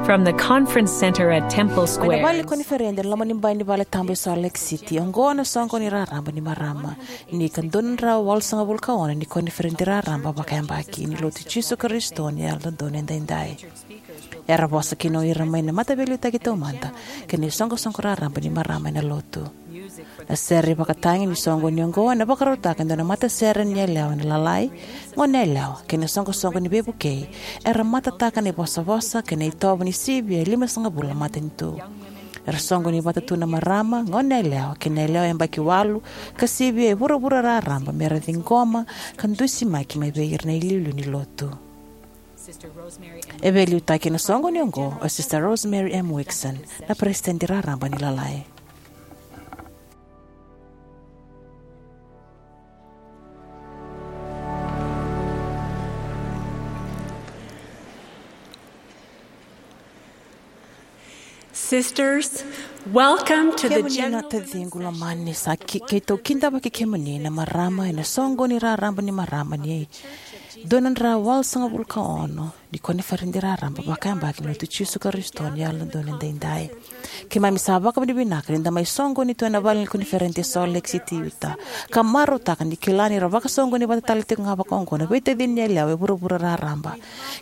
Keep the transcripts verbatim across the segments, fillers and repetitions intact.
From the conference center at Temple Mai na Square. Vale ni koniferedi ena loma ni bai ni vale tabu e Salt Lake City, oqo na soqo ni raraba ni marama. Ni ka dua na drau walusagavulu ka ono ni koniferedi raraba vakayabaki ni Lotu Jisu Karisito ni Yalododonu Edaidai. Era vosa kina o ira mai na mataveiliutaki taumada kei na isoqosoqo raraba ni marama ena lotu. Na sere ivakatagi ni soqoni oqo ena vakarautaka e dua na matasere ni yalewa ena lalai, goneyalewa kei na isoqosoqo ni veivukei era matataka na ivosavosa kei na itovo ni sivia e limasagavulu na matanitu. Era soqoni vata tu na marama, goneyalewa kei na yalewa yabaki walu ka sivia e vuravura raraba me ra ciqoma ka dusimaki mai vei ira na iliuliu ni lotu. E veiliutaki ena soqoni oqo o Sister Rosemary M. Wixom, na peresitedi raraba ni lalai. Sisters, welcome to the Kemuni na general taciqu lomani, sa ki, keitou kidavaki kemuni na marama ena soqoni raraba ni marama ni dua na drau walusagavulu ka ono ni koniferedi raraba vakayabaki ni Lotu Jisu Karisito ni Yalododonu Edaidai. Keimami sa vakavinavinaka ni da mai soqoni tu ena vale ni koniferedi e Salt Lake City, Utah, ka marautaka ni kila ni ra vakasoqoni vata tale tiko ga vakaoqo na veitacini ni yalewa e vuravura raraba.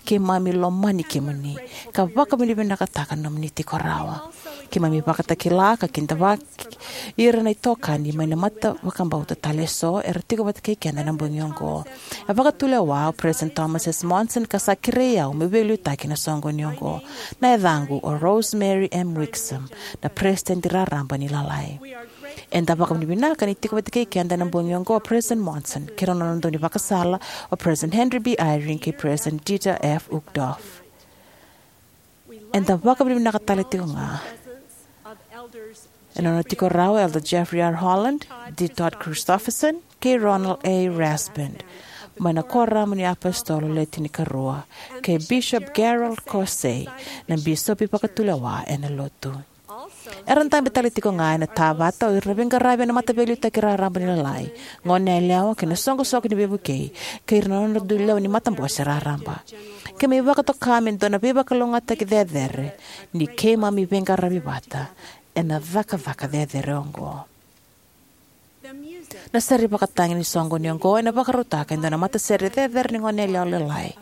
Keimami lomani kemuni ka vakavinavinakataka na nomuni tiko rawa. Keimami vakatakila ka kidavaki ira na itokani mai na mata vakabauta tale eso era tiko vata kei keda ena bogi oqo. A vakatulewa o President Thomas S. Monson ka sa kerei au meu veiliutaki ena soqoni oqo. Na yacaqu o Rosemary M. Wixom, na peresitedi raraba ni lalai. Eda vakavinavinaka ni tiko vata kei keda ena bogi oqo o President Monson kei rau na nona daunivakasala o President Henry B. Eyring kei President Dieter F. Uchtdorf. Eda vakavinavinaka tale tiko ga ena nona tiko rawa o Elder Jeffrey R. Holland, D. Todd Christofferson kei Ronald A. Rasband, mai na Kuoramu ni iApositolo Le Tinikarua, kei Bishop Gerald Caussé, na bisopi vakatulewa ena lotu. Era dabe tale tiko ga ena tavata o ira na veiqaravi ena mataveiliutaki raraba ni lalai, goneyalewa kei na isoqosoqo ni veivukei, kei ira na nodra dui lewe ni matabose raraba. Keimami vakatoka me dua na veivakalougatataki cecere ni keimami veiqaravi vata ena cakacaka cecere oqo. Na sere ivakatagi ni soqoni oqo ena vakarautaka e dua na matasere cecere ni goneyalewa lalai,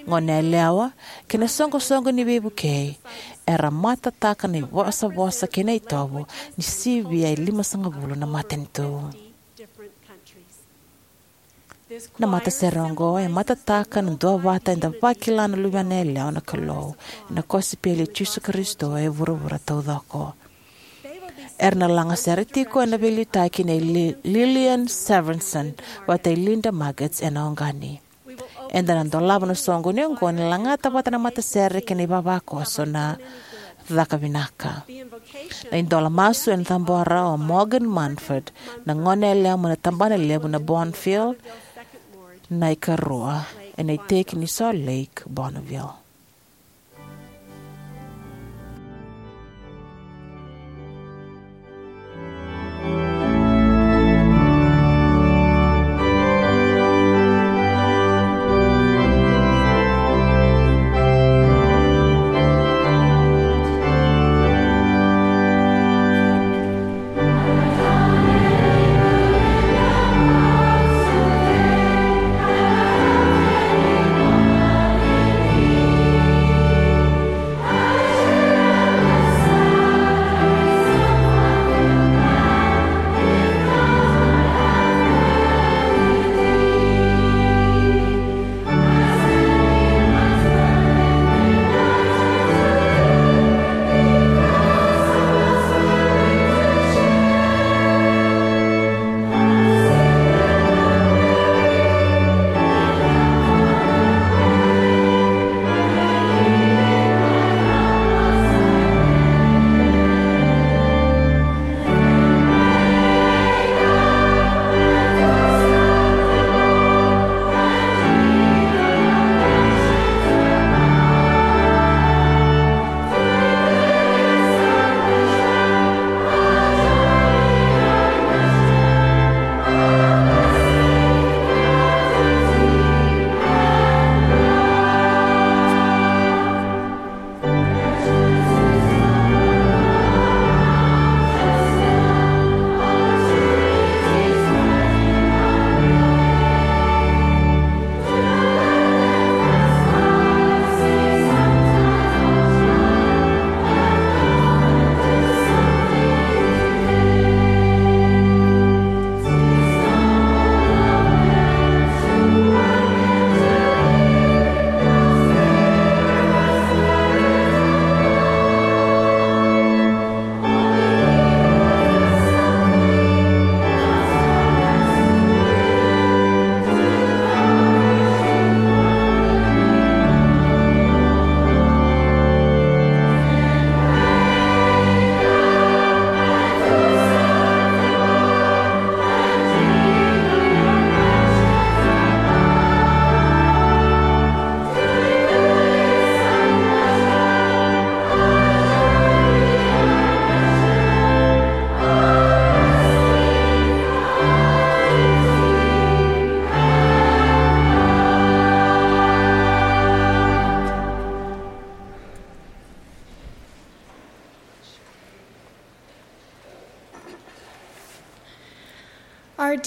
goneyalewa kei na isoqosoqo ni veivukei era matataka na ivosavosa kei na itovo ni sivia e limasagavulu na matanitu. Na matasere oqo e matataka na duavata eda vakila na Luvena yalewa na Kalou ena kosipeli i Jisu Karisito e vuravura taucoko. Era na lagasere tiko ena veiliutaki nei Li-, Lillian Severinsen vata kei Linda Maggs ena August. Eda na dolava na soqoni oqo ni lagata vata na matasere kei na ivavakoso na Caka Vinaka. Na idola masu ena cabora o Morgan Manford, na goneyalewa mai na tabanalevu na Bonneville, na ikarua ena iteki ni Salt Lake, Bonneville.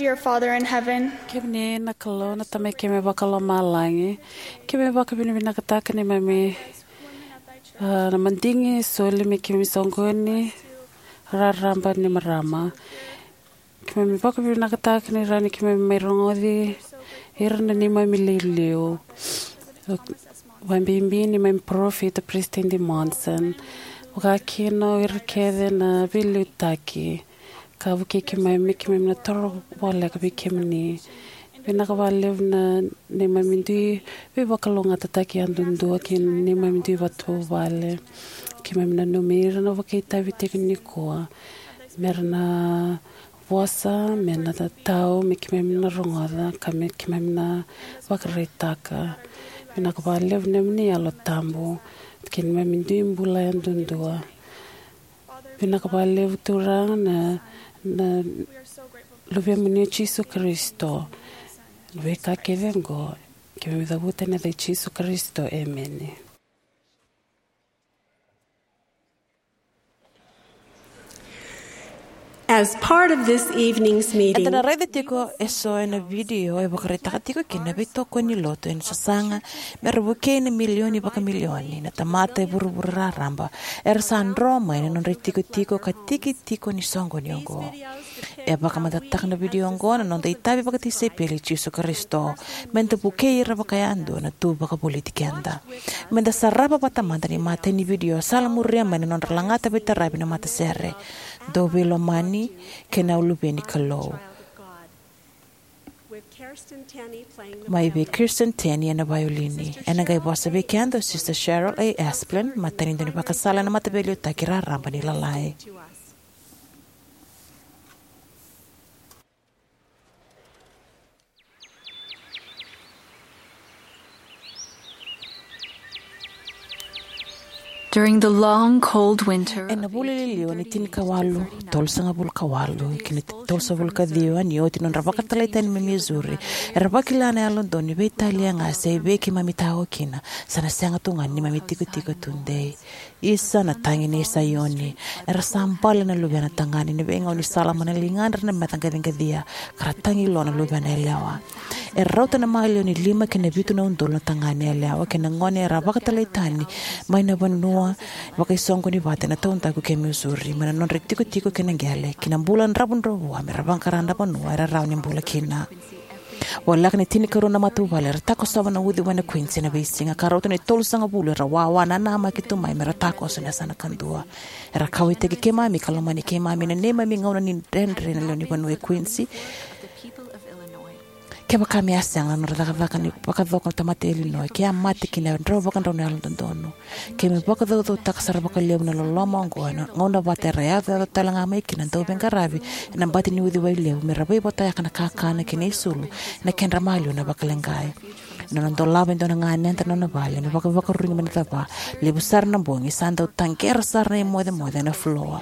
Your Father in heaven. Kemuni na Kalou, na Tamai keimami vakalomalagi. Keimami vakavinavinakataka neimami, ah, na madigi soli me keimami soqoni raraba ni marama. Keimami vakavinavinakataka ni rawa ni keimami mai rogoci ira na neimami iliuliu, vakabibi neimami parofita Peresitedi Monson, vakakina o ira kece na veiliutaki ka vukei keimami, keimami na toro voleka vei kemuni. Vinaka vakalevu na neimami dui veivakalougatataki yadudua kei na neimami dui vatuvale. Keimami nanumi ira na vakaitavi tiko nikua me ra na vosa, me na tau, me keimami na rogoca ka me keimami na vakaraitaka. Vinaka vakalevu na neimami Yalo Tabu kei na neimami dui bula yadudua. Vinaka vakalevu Turaga na, na Luvemuni o Jisu Karisito. Na veika kece oqo keimami cavuta ena yaca i Jisu Karisito, emeni. As part of this evening's meeting, eda na raica tiko eso ena vidio e vakaraitaka tiko kina na veitokoni ni lotu ena sasaga me ra vukei na milioni vakamilioni na tamata e vuravura raraba era sa dro mai na nodra itikotiko ka tiki tiko ni soqoni oqo. E vakamatatataka na vidio oqo na noda itavi vakatisaipeli i Jisu Karisito, me da vukei ira vakayadua na tu vakavoliti keda. Me da sarava vata mada na imatai ni vidio sa la muria mai na nodra lagata veitaravi na matasere, Dou Veilomani kei na Luve ni Kalou, mai vei Kirsten Tenney ena vaiolini. Ena qai vosa vei keda o Sister Cheryl A. Esplin, matanitu ni vakasala ena Mataveiliutaki Raraba ni Lalai. During the long, cold winter, ena vula liliwa ni tinikawalu tolusagavulu ka walu ki na tolusagavulu ka ciwa, ni oti nodra vakatalai tani mai Missouri, era vakila na Yalododonu ni veitalia ga se vei keimami tao kina, sa na sega tu ga ni neimami tikotiko tudei. Isa na tagi nei Saioni, era sa bale na luvena tagane ena veigaunisala mai na ligadra na meca qaciqacia, ka ra tagi lo na luvena yalewa. E rauta na maliwa ni lima kei na vitu na udolu na tagane yalewa kei na gone era vakatalai tani mai na vanua vakaisoqoni vata ena taudaku kei Missouri, mai na nodra itikotiko kei na qele ki na bula dravudravua me ra vaqara na vanua era rawa ni bula kina. Voleka ni tinikarua na matavuvale era takosova na uciwai na Quincy ena veisiga, ka rauta ni tolusagavulu era wawa nanamaki tu mai me ra takoso ena yasana kadua. Era kauwaitaki keimami ka lomani keimami ena neimami gauna ni dredre na lewenivanua e Quincy. Kevaka me a sega na nodra cakacaka ni vakacoko na tamata e Illinois, ke a mate kina e drau vakadrau na Yalododonu. Keimami vakacaucautaka sara vakalevu na loloma oqo ena gauna vata era yacoyaco tale ga mai kina na dauveiqaravi ena bati ni uciwai levu me ra veivotayaka na kakana kei na isulu ena kedra maliwa na vakaleqai. Ena nona dolava e dua na ganeda na nona vale me vakavakaruru mai na cava, levu sara na bogi sa dau taqera sara na imocemoce ena fuloa,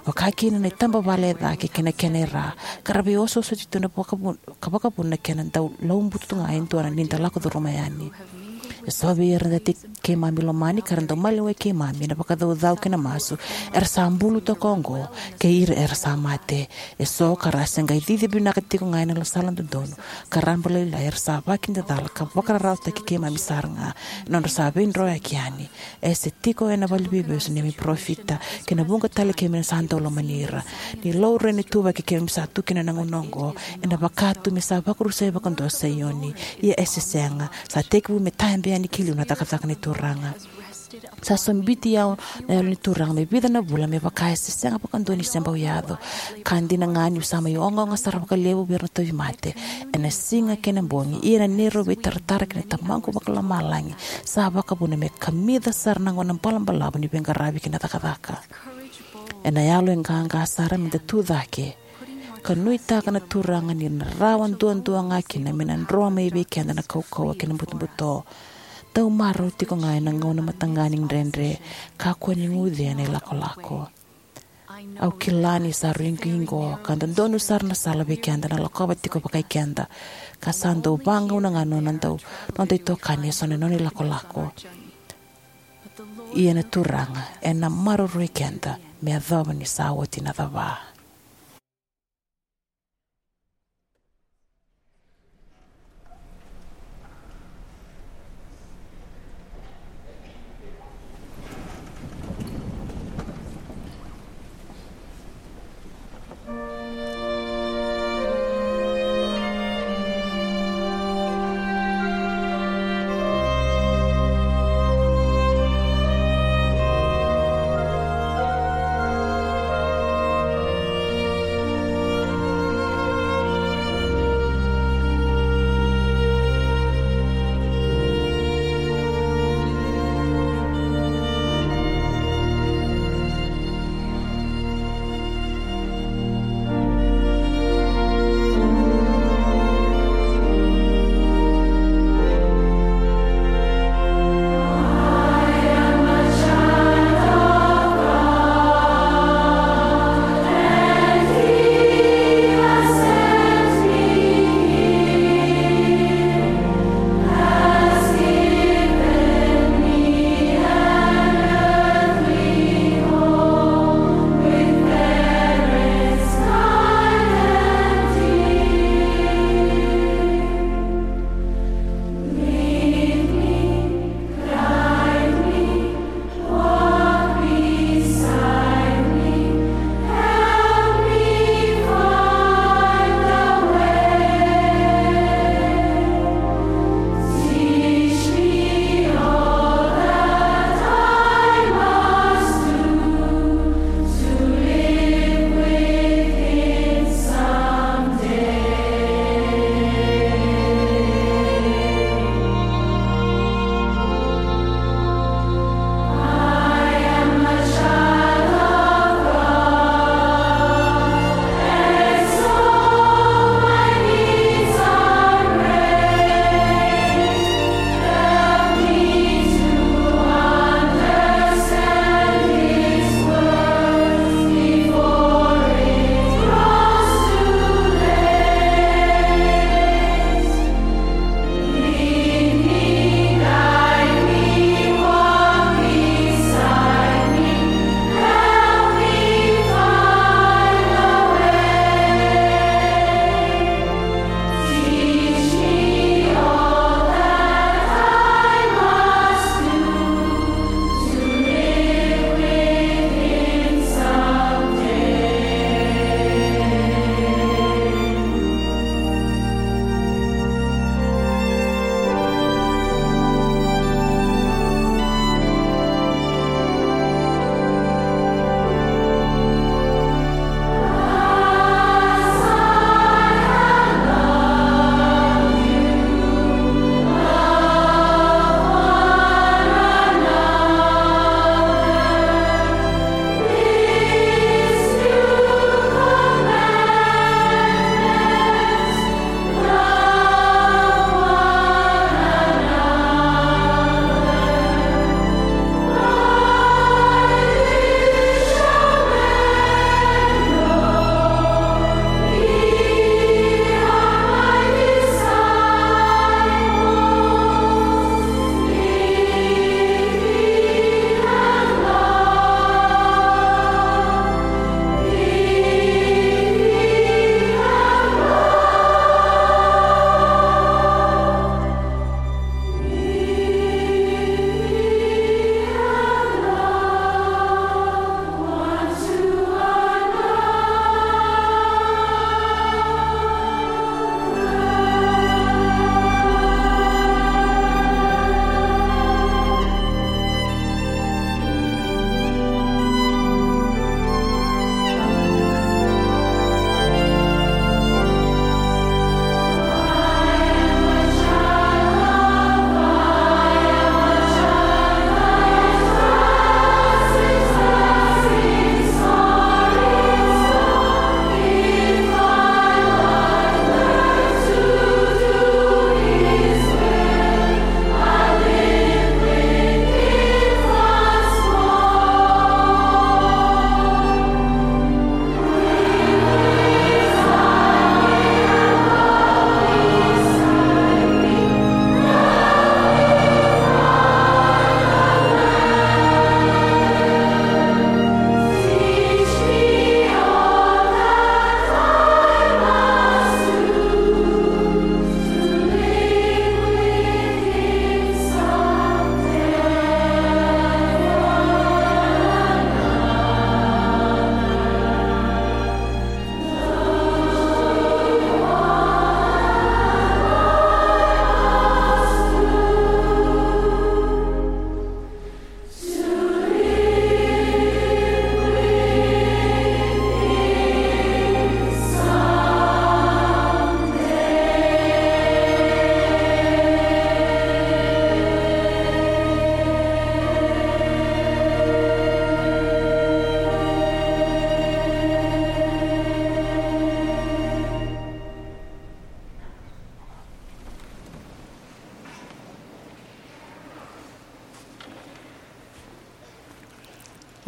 vaka kina na itabavale e cake kei na kena ira, ka ra veiosooso tiko na vakavuna, ka vakavuna na kena dau laubutu tu ga e dua na ni da lako curuma yani. Eso vei ira na tei keimami lomani ka ra dau maliwai keimami ena vakacaucau kei na masu, era sa bulu toka oqo, kei ira era sa mate. Eso ka ra se qai cici vinaka tiko ga ena sala dodonu ka raba lailai, era sa vakidacala ka vakararawataki keimami sara ga ena nodra sa veidroyaki yani. E se tiko ena valeniveivesu na neimami parofita, kei na vuqa tale keimami na sa dau lomani ira. Ni laurai na ituvaki keimami sa tu kina ena gauna oqo, ena vaka tu me sa vakarusai vakadua o Saioni. Ia e se sega, sa tekivu me tabe yani ki liu na cakacaka ni Turaga. Sa sobiti au na Yalo ni Turaga me vica na vula, me vaka e se sega vakadua ni se bau yaco. Ka dina ga niu sa mai ogaoga sara vakalevu vei ira na tauvimate ena siga kei na bogi, ia na neirau veitaratara kei na Tamaqu Vakalomalagi sa vakavuna me kamica sara na gauna balabalavu ni veiqaravi kei na cakacaka. Ena yalo e qaqa sara me da tu cake ka nuitaka na Turaga ni na rawa duadua ga kina me na dro mai vei keda na kaukauwa kei na butobuto. Dau marau tiko ga ena gauna mataqali ni dredre, kakua ni guce ena ilakolako. Au kila ni sa rui qiqo ka dodonu sara na sala vei keda na lakova tiko vakai keda, ka sa dau vagauna ga na nona dau, noda itokani eso na nona ilakolako. Ia na Turaga ena maroroi keda me yacova ni sa oti na cava.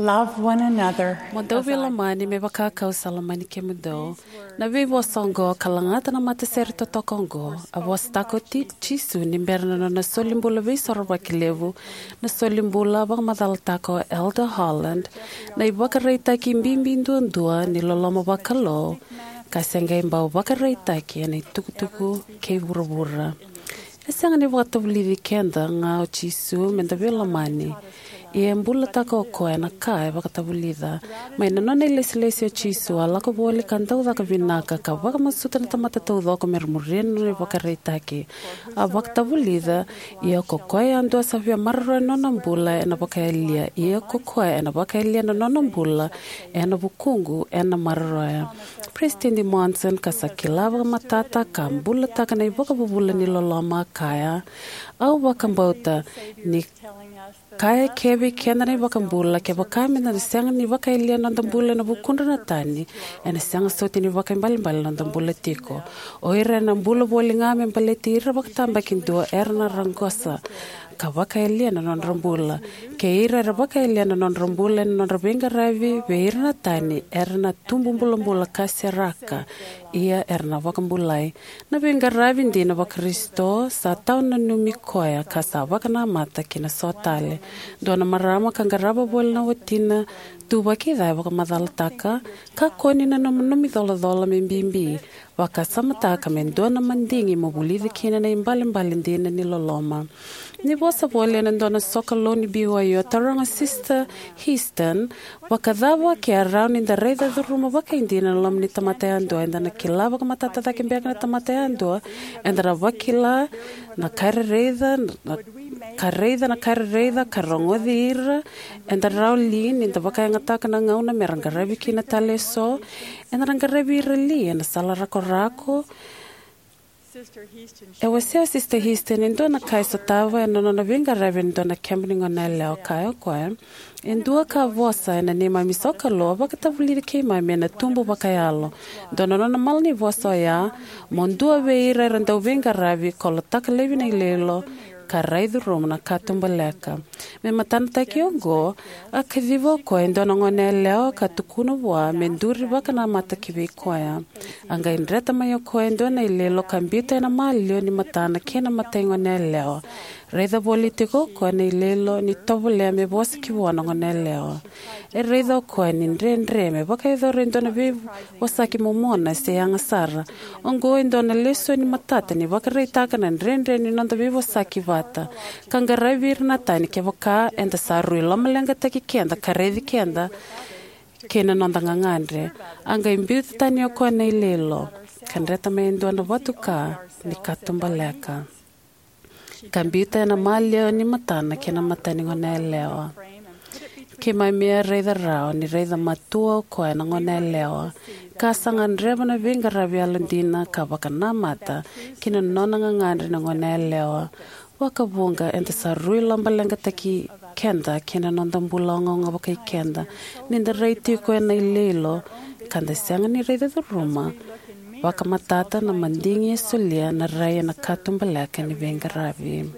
Love one another. Mo dou veilomani me vaka kau sa lomani kemudou. Na veivosa oqo ka lagata na matasere totoka oqo, a vosataka o Ti- Jisu ni bera na nona solibula veisorovaki levu, na solibula vakamacalataka o Elder Holland, na ivakaraitaki bibi duadua ni loloma vakalou, ka se qai bau vakaraitaki ena itukutuku kei vuravura. E sega ni vakatavulici keda ga o Jisu me da veilomani. Ia e bulataka o koya na ka e vakatavulica. Mai na nona ilesilesi o Jisu, a lako voli ka dau caka vinaka ka vakamasuta na tamata taucoko me ra muria na nona ivakaraitaki. A vakatavulica, ia ko koya yadua sa via maroroya na nona bula ena vakayalia, ia ko koya ena vakayalia na nona bula ena vukuqu ena maroroya. President Monson, ka sa kila vakamatata ka bulataka na ivakavuvula ni loloma, a kaya, au vakabauta ni kaya kevei keda na iVakabula, kevaka me da sega ni vakayalia noda bula ena vukudra na tani, ena sega soti ni vakaibalebale noda bula tiko. O ira ena bula voli ga me baleti ira vakatabakidua era na raqosa ka vakayalia na nodra bula. Kei ira era vakayalia na nodra bula ena nodra veiqaravi vei ira na tani, era na tubu bulabula ka seraka, ia era na vakabulai. Na veiqaravi dina vaKarisito sa tawa nanumi koya ka sa vakanamata ki na so tale. Dua na marama ka qarava voli na watina tu vakica e vakamacalataka, kakua ni nanumi colacola me bibi, vakasamataka me dua na madigi mo vulica kina na ibalebale dina ni loloma. Ni vosa voli ena dua na sokalou ni B Y U, a taroga Sister Heaston, vakacava ke a rawa ni da raica curuma vakaidina na loma ni tamata yadua? Eda na kila vakamatata cake beka na tamata yadua? Eda na vakila na ka e raica, na ka raica, na ka e raica, ka rogoci ira? Eda rawa li ni da vakayagataka na gauna me ra qaravi kina tale eso? Eda na qaravi ira li ena sala rakorako? E wasea o Sister Heaston e dua na ka e sotava ena nona veiqaravi ena dua na keba ni goneyalewa. Kaya o koya, e dua ka vosa ena neimami sokalou, a vakatavulici keimami ena tubu vakayalo. Dua na nona malanivosa oya, mo dua vei ira era dau veiqaravi, kolotaka laivi na iloilo, ka rai curuma na katubaleka. Me matanataki oqo, a kaciva o koya e dua na goneyalewa ka tukuna vua me duri vakanamata ki vei koya. A qai dreta mai o koya e dua na iloilo ka biuta ena maliwa ni matana kei na matai goneyalewa. Raica voli tiko o koya na iloilo ni tovolea me vosa ki vua na goneyalewa. E raica o koya ni dredre me vakayacora e dua na veivosaki momona se yaga sara. Oqo e dua na lesoni matata ni vakaraitaka na dredre ni noda veivosaki vata ka qaravi ira na tani. Kevaka eda sa rui lomaleqataki keda ka raici keda kei na noda gagadre. A qai biuta tani o koya na iloilo ka dreta mai e dua na vatuka ni katubaleka, ka biuta ena maliwa ni matana kei na matai ni goneyalewa. Keimami a raica rawa ni raica matua o koya na goneyalewa, ka sa gadreva na veiqaravi yalodina ka vakanamata ki na nona gagadre na goneyalewa. Vakavuqa eda sa rui lomaleqataki keda kei na noda bula ogaoga vakai keda ni da rai tiko ena iloilo ka da sega ni raica curuma vakamatata na madigi e solia na rai ena katubaleka ni veiqaravi.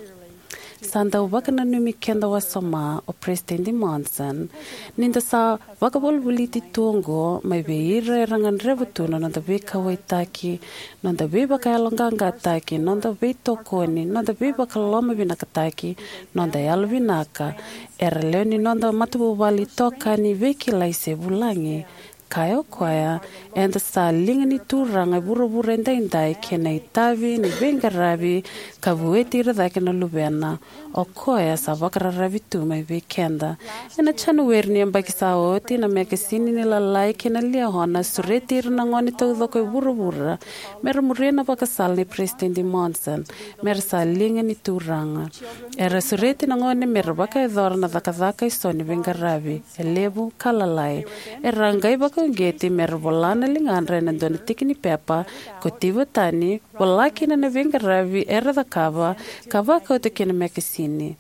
Sa dau vakananumi keda wasoma o Peresitedi Monson ni da sa vakavolivoliti tu oqo mai vei ira era gadreva tu na noda veikauwaitaki, noda veivakayaloqaqataki, noda veitokoni, noda veivakalomavinakataki, noda yalovinaka. Era lewe ni noda matavuvale, itokani, veikilai se vulagi. Kaya o koya, eda sa liga ni Turaga e vuravura edaidai kei na itavi ni veiqaravi ka vueti ira cake na luvena. O koya sa vakararavi tu mai vei keda. Ena Janueri ni yabaki sa oti, na mekasini ni Lalai kei na Liahona a sureti ira na gone taucoko e vuravura me ra muria na vakasala nei Peresitedi Monson, me ra sa liga ni Turaga. Era sureti na gone me ra vakayacora na cakacaka eso ni veiqaravi, e levu ka lalai. Era qai vaka uqeti me ra vola na ligadra ena dua na tiki ni pepa, kotiva tani, vola kina na veiqaravi era cakava, ka vakauta ki na mekasini.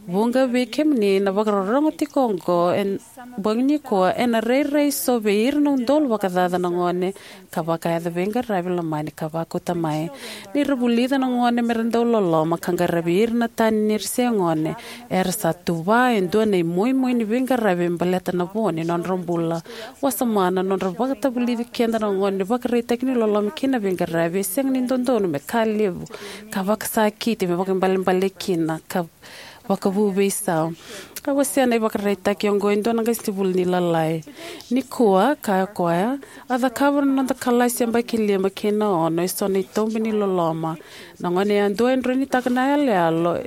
Vuqa vei kemuni na vakarorogo tiko oqo ena bogi nikua, ena rairai so vei ira na udolu vakacaca na gone ka vakayaco veiqaravi lomani ka vakauta mai. Ni ra vulica na gone me ra dau loloma ka qaravi ira na tani ni ra se gone, era sa tuva e dua na imoimoi ni veiqaravi me baleta na vo ni nodra bula. Wasoma na nodra vakatavulici keda na gone ni vakaraitaki ni loloma kei na veiqaravi e sega ni dodonu me ka levu ka vakasakiti me vakaibalebale kina ka vakavu veisau. A wasea na ivakaraitaki oqo e dua na qasenivuli ni Lalai. Nikua, kaya o koya, a cakava na noda kalasi yabaki lima kei na ono eso na itobi ni loloma. Na gone yadua e droinitaka na yaloyalo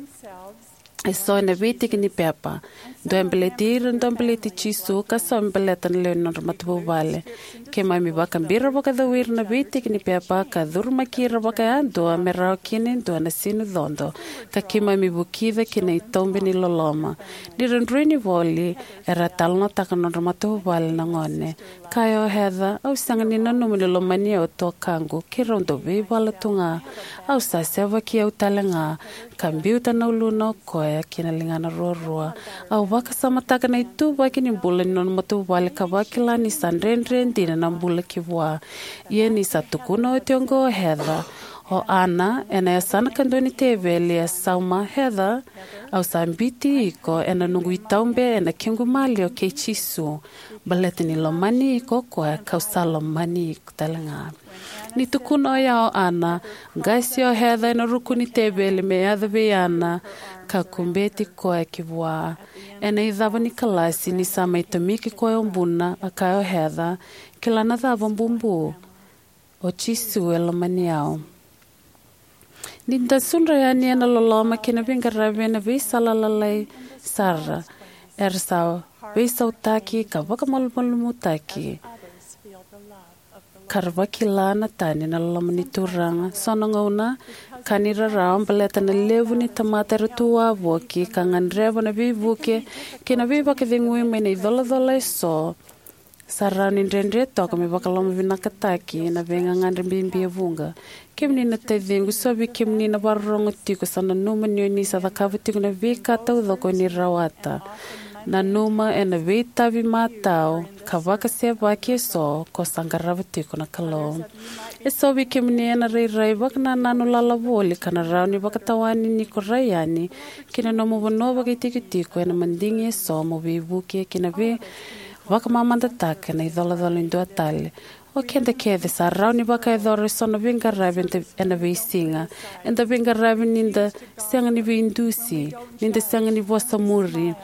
eso ena veitiki ni pepa. Dua e baleti ira, dua e baleti Jisu, ka so me baleta na lewe ni nodra matavuvale. Keimami vakabira vakacau ira na veitiki ni pepa ka curumaki ira vakayadua me rawa kina e dua na sinu codo, ka keimami vukica ki na itobi ni loloma. Ni ra droini voli, era talanoataka na nodra matavuvale na gone. Kaya o Heather, au sega ni nanuma ni lomani au e tuakaqu, keirau dau veivala tu ga. Au sa sevaki au tale ga, ka biuta na uluna o koya ki na ligana ruarua. Au vakasamataka na ituvaki ni bula ni nona matavuvale ka vakila ni sa dredre dina na bula ki vua. Ia ni sa tukuna oti oqo o Heather, o Ana, ena yasana kadua ni teveli, e sauma, Heather, au sa biuti iko ena noqu itaube ena kequ maliwa kei Jisu, baleta ni lomani iko o koya kau sa lomani iko tale ga. Ni tukuna oya o Ana, qase o Heather ena ruku ni teveli me yaco vei Ana, ka kubeti koya ki vua. Ena icava ni kalasi, ni sa mai tomiki koya o buna, a kaya o Heather, kila na cava, bubu? O Jisu e lomani au. Ni da sudra yani ena loloma kei na veiqaravi ena veisala lalai sara, era sa veisautaki ka vakamalumalumutaki, ka ra vakila na tani na loloma ni Turaga. So na gauna, ka ni rarawa baleta na levu ni tamata era tu wavoki ka gadreva na veivuke kei na veivakacegui mai na icolacola eso, sa rawa ni dredre toka me vakalomavinakataki na veigagadre bibi e vuqa. Kemuni na taciqu, so vei kemuni na vakarorogo tiko sa nanuma ni o ni sa cakava tiko na veika taucoko o ni rawata. Nanuma ena veitavi matau ka vakasevaki eso ko sa qarava tiko na Kalou. Eso vei kemuni ena rairai vakanananu lala voli ka na rawa ni vakatawani ni ko rai yani ki na nomu vanua vakaitikotiko ena madigi eso mo veivuke ki na vei vakamamadataka na icolacola e dua tale. O keda kece sa rawa ni vakayacora eso na veiqaravi eda, ena veisiga. Eda veiqaravi ni da sega ni veidusi, ni da sega ni vosa muri,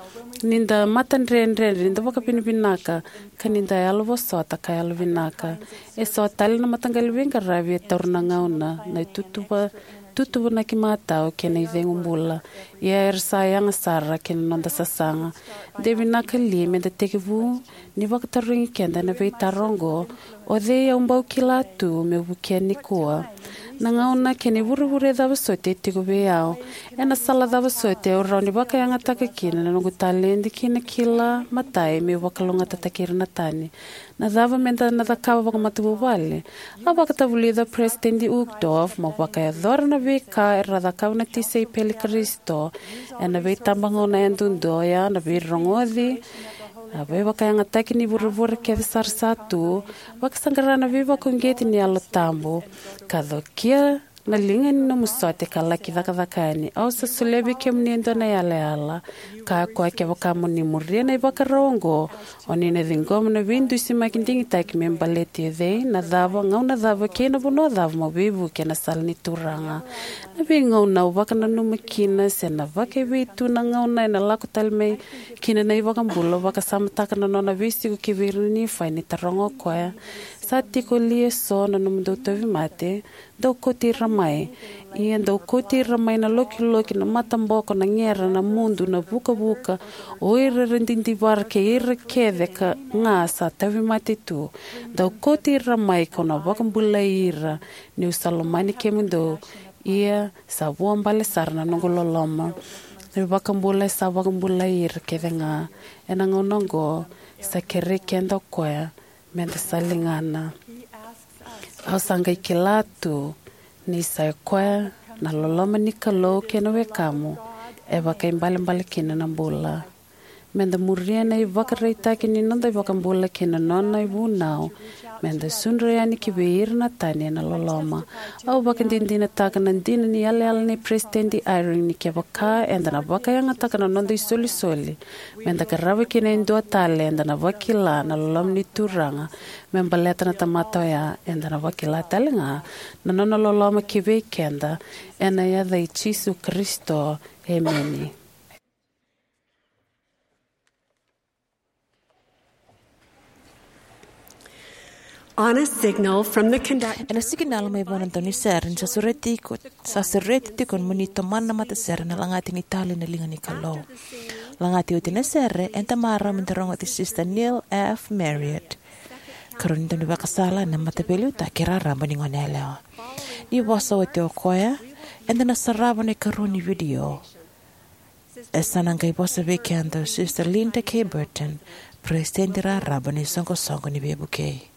ni da matadredredre, ni da vakavinavinaka, ka ni da yalovosota ka yalovinaka. Eso tale na mataqali veiqaravi e taura na gauna, na itutuva, tutuvanaki matau kei na icegu bula. Ia era sa yaga sara ki na noda sasaga. De vinaka li me da tekivu ni vakatarogi keda ena veitaro oqo, o cei au bau kila tu meu vukea nikua? Na gauna kei na ivurevure cava soti e tiko vei au? Ena sala cava soti au rawa ni vakayagataka kina na noqu taledi kei na kila matai meu vakalougatataki ira na tani? Na cava me da na cakava vakamatavuvale? A vakatavulica o Peresitedi Uchtdorf, mo vakayacora na veika era cakava na tisaipeli Karisito ena veitabagauna yadudua, oya na veirogoci, a veivakayagataki ni vurevure kece sara sa tu, vakasaqara na veivakauqeti ni Yalo Tabu, ka cokia na liga ni nomu sote ka laki cakacaka yani. Au sa solia vei kemuni e dua na yalayala, ka koya kevaka mo ni muria na ivakarau oqo, o ni na ciqoma na veidusimaki digitaki me baleti o cei, na cava, gauna cava kei na vanua cava mo veivuke ena sala ni Turaga. Na veigauna au vakananuma kina se na vakaevei tu na gauna ena lako tale mai kina na iVakabula, au vakasamataka na nona veisiko ki vei ira na Nifai ni taroga o koya, sa tiko li eso na nomudou tauvimate? Dou kauti ira mai. Ia dou kauti ira mai na lokiloki, na mataboko, na gera, na mudu, na vukavuka, o ira era didivara kei ira kece ka ga sa tauvimate tu. Dou kauti ira mai, kau na vakabulai ira, niu sa lomani kemudou. Ia sa vuabale sara na noqu loloma. Na iVakabula e sa vakabulai ira kece ga. Ena gauna oqo, sa kerei keda o koya me da sa ligana. Au sa qai kila tu ni sa i koya na loloma ni Kalou kei na wekamu e vakaibalebale kina na bula. Me da muria na ivakaraitaki ni noda iVakabula kei na nona ivunau, me da sudra yani ki vei ira na tani ena loloma. Au vakadinadinataka na dina ni yalayala nei Peresitedi Eyring ni kevaka eda na vakayagataka na noda isolisoli, me da qarava kina e dua tale, eda na vakila na loloma ni Turaga me baleta na tamata oya, eda na vakila tale ga na nona loloma ki vei keda. Ena yaca i Jisu Karisito, emeni. On a signal from the conductor. Ena sikinala mai vua na daunisere ni sa sureti iko, sa sureti tiko mo ni tomana na matasere na Lagati ni Tali na Liga ni Kalou. Lagati oti na sere, eda marau me da rogoci Sister Neil F. Marriott, karua ni daunivakasala ena Mataveiliutaki Raraba ni Goneyalewa. Ni vosa oti o koya, eda na sarava na ikarua ni vidio. E sa na qai vosa vei keda o Sister Linda K. Burton, Peresitedi Raraba ni Soqosoqo ni Veivukei.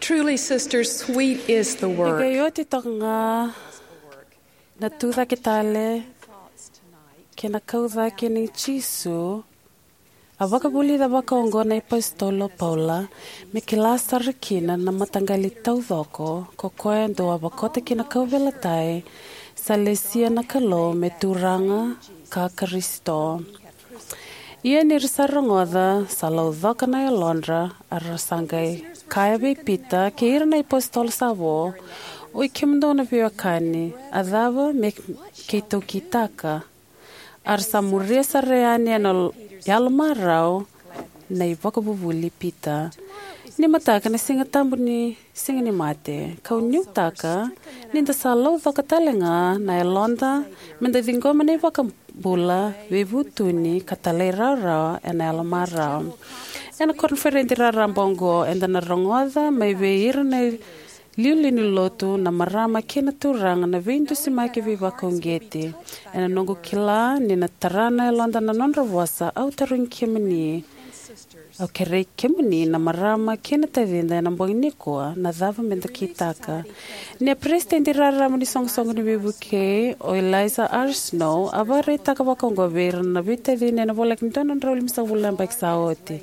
Truly, sisters, sweet is the work. E qai oti toka ga na tucake tale kei na kaucake nei Jisu. A vakavulica vakaoqo na iApositolo o Paula, me kila sara kina na mataqali taucoko ko koya dou a vakota ki na kauveilatai, sa lesia na Kalou me Turaga ka Karisito. Ia ni ra sa rogoca, sa laucoka na yalodra, a ra sa qai kaya vei Pita kei ira na iapositolo sa vo, oi kemudou na veiwekani, a cava me keitou kitaka? A ra sa muria sara yani ena yalomarau na ivakavuvuli i Pita. Ni mataka na Siga Tabu ni Siganimate, kau nuitaka ni da sa laucoka tale ga na yaloda me da ciqoma na iVakabula veivutuni ka talairawarawa ena yalo marau. Ena koniferedi raraba oqo, eda na rogoca mai vei ira na iliuliu ni Lotu na marama kei na turaga na veidusimaki veivakauqeti. Ena noqu kila ni na tara na yaloda na nodra vosa, au tarogi kemuni, au kerei kemuni na marama kei na tacida ena bogi nikua, na cava me da kitaka? Ni a peresitedi raraba ni soqosoqo ni veivukei, o Eliza R. Snow, a vakaraitaka vakaoqo vei ira na veitacini ena voleka ni dua na drau limasagavulu na yabaki sa oti: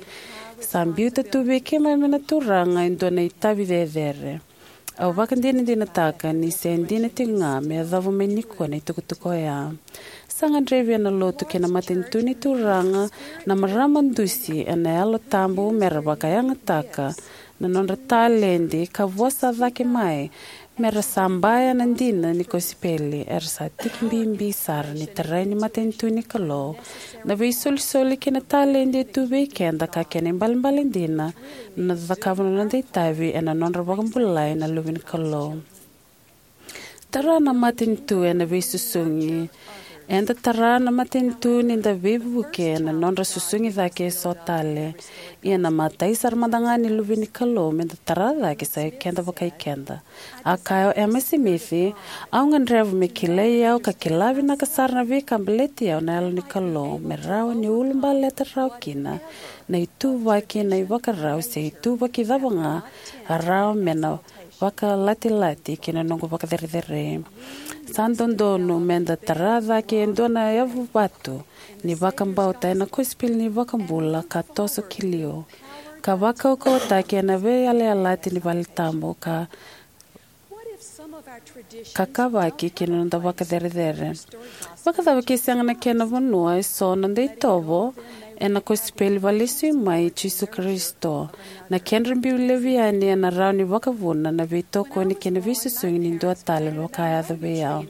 Sa biuta tu vei keimami na Turaga e dua na itavi cecere. Au vakadinadinataka ni se dina tiko ga me yacova mai nikua na itukutuku oya. Sa gadrevi ena Lotu kei na matanitu ni Turaga na marama dusi ena Yalo Tabu me ra vakayagataka na nodra taledi ka vosa cake mai me ra sabaya na dina ni kosipeli. Era sa tiki bibi sara ni tarai ni matanitu ni Kalou na veisolisoli kei na taledi e tu vei keda, ka kena ibalebale dina na noda cakava na noda itavi ena nodra vakabulai na luve ni Kalou. Tara na matanitu ena veisusugi. Eda tara na matanitu ni da veivuke ena nodra susugi cake eso tale. Ia na imatai sara mada ga ni luve ni Kalou me da tara cake sa i keda vakai keda. A kaya o Emma Smith, "Au gadreva me kilai au ka kila vinaka sara na veika baleti au na Yalo ni Kalou, me rawa niu ulubaleta rawa kina na ituvaki, na ivakarau se ituvaki cava ga a rawa me na vakalatilati ki na noqu vakacerecerei." Sa dodonu me da tara cake e dua na yavu vatu ni vakabauta ena kosipeli ni iVakabula ka toso ki liu, ka vakaukauwataki ena veiyalayalati ni vale tabu ka kakavaki ki na noda vakacerecerei. Vakacava ke sega na kena vanua eso na noda itovo ena kosipeli vakalesui mai i Jisu Karisito? Na kedra biu laivi yani ena rawa ni vakavuna na veitokoni kei na veisusugi ni dua tale, me vaka a yaco vei au.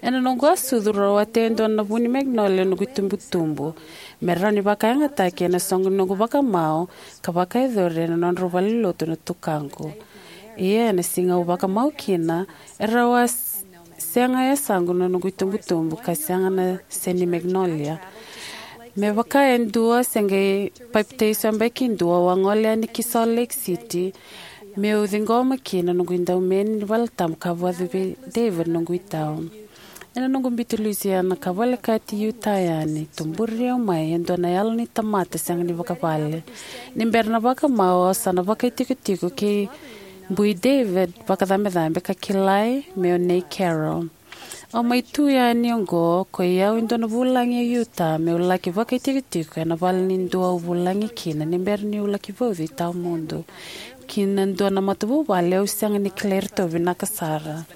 Ena noqu a sucu, rau a tei e dua na vu ni magnolia noqu itubutubu me rawa ni vakayagataki ena soqo ni noqu vakamau ka vakayacori ena nodrau valenilotu na tukaqu. Ia ena siga au vakamau kina, e rau a s-, sega e yasaqu na noqu itubutubu ka sega na seni magnolia. Me vaka e dua se qai papitaiso yabaki dua, au a gole yani ki Salt Lake City meu ciqoma kina noqu idaumeni ni vale tabu ka vauci vei David noqu itau. Ena noqu biuti Louisiana ka volekati Utah yani, tuburi au mai e dua na yalo ni tamata sega ni vakavale. Ni bera na vakamau, au sa na vakaitikotiko kei bui David vakacabecabe ka kilai me o Nei Carroll. Au mai tu yani oqo ko i au e dua na vulagi e Utah meu laki vakaitikotiko ena vale ni dua au vulagi kina ni bera niu laki vauci tawamudu, ki na dua na matavuvale au sega ni kilai iratou vinaka sara.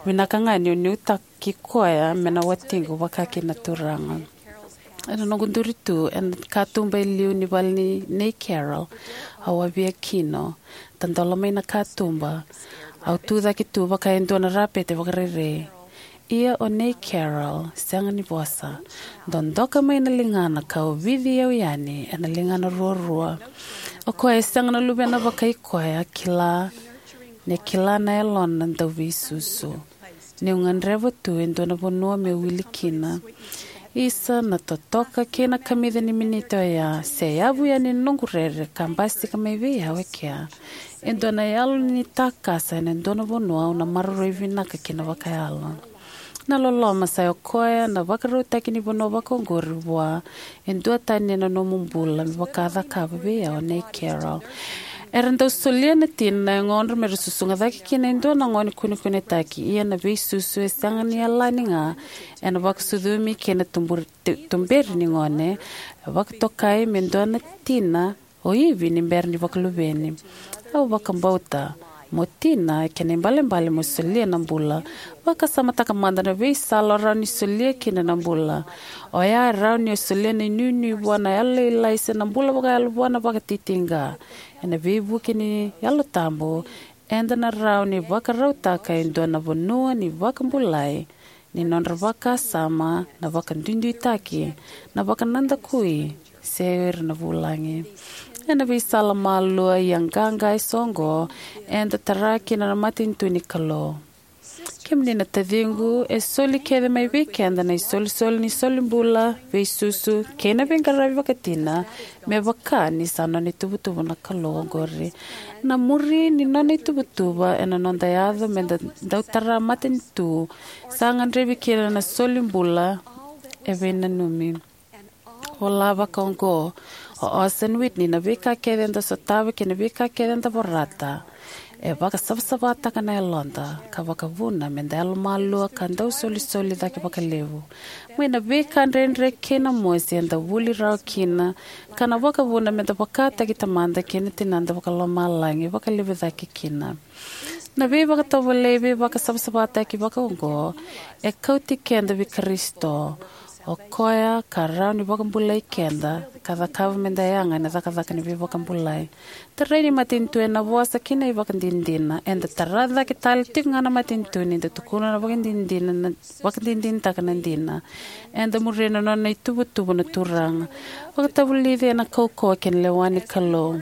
Vinaka ga niu nuitaki koya me na watiqu vaka kina na Turaga. Ena noqu duri tu ena katuba e liu ni vale nei Carroll, au a via kino, tadola mai na katuba. Au tu cake tu vaka e dua na rapete vakarerei. Ia o Nei Carroll sega ni vosa. Dodoka mai na ligana ka ovici au yani ena ligana ruarua. O koya e sega na luvena vakai koya, kila, ni kila na yalona dau veisusu. Niu gadreva tu e dua na vanua meu wili kina. Isa na totoka kei na kamica ni miniti oya, seyavu yani na noqu rere ka basika mai vei au e kea e dua na yalo ni takasa ena dua na vanua au na maroroi vinaka kina vakayalo. Na loloma sa i koya na vakarautaki ni vanua vakaoqori vua e dua tani ena nomu bula, me vaka a cakava vei au o Nei Carroll. Era dau solia na tina na yagodra me ra susuga cake kina e dua na gone kunekunetaki, ia na veisusu e sega ni yalani ga ena vakasucumi kei na tuburi-, tu-, tuberi ni gone, e vakatokai me dua na tina o Ivi ni bera ni vakaluveni. Au vakabauta mo tina, e kena ibalebale mo solia na bula. Vakasamataka mada na veisala o rawa ni solia kina na bula. Oya e rawa ni o solia na inuinui vua na yalolailai se na bula vakayalo vua na vakatitiqa. Ena veivuke ni Yalo Tabu, eda na rawa ni vakarautaka e dua na vanua ni vakabulai ni nodra vakasama, na vakaduiduitaki, na vakanadakui, se o ira na vulagi. Ena veisala malua ia qaqa eso oqo, eda tara kina na matanitu ni Kalou. Kemuni na taciqu, e soli kece mai vei keda na isolisoli ni solibula, veisusu, kei na veiqaravi vakatina, me vaka ni sa nona ituvatuva na Kalou oqori. Na muri ni nona ituvatuva ena noda yaco me da dau tara matanitu, sa gadrevi kina na solibula e veinanumi. Vola vakaoqo o Orson Whitney, na veika kece eda sotava kei na veika kece eda vorata, e vakasavasavataka na yaloda, ka vakavuna me da yalomalua ka dau solisoli cake vakalevu. Mai na veika dredre kei na mosi eda vuli rawa kina, ka na vakavuna me da vakataki tamada kei na tinada vakalomalagi vakalevu cake kina. Na veivakatovolei veivakasavasavataki vakaoqo e kauti keda vei Karisito, o koya ka rawa ni vakabulai keda ka cakava me da yaga ena cakacaka ni veivakabulai. Tarai ni matanitu ena vosa ki na ivakadinadina. Eda tara cake tale tiko ga na matanitu ni da tukuna na vakadinadina, na vakadinadinataka na dina. Eda muria na nona ituvatuva na Turaga. Vakatavulici ena kaukauwa kei na lewa ni Kalou.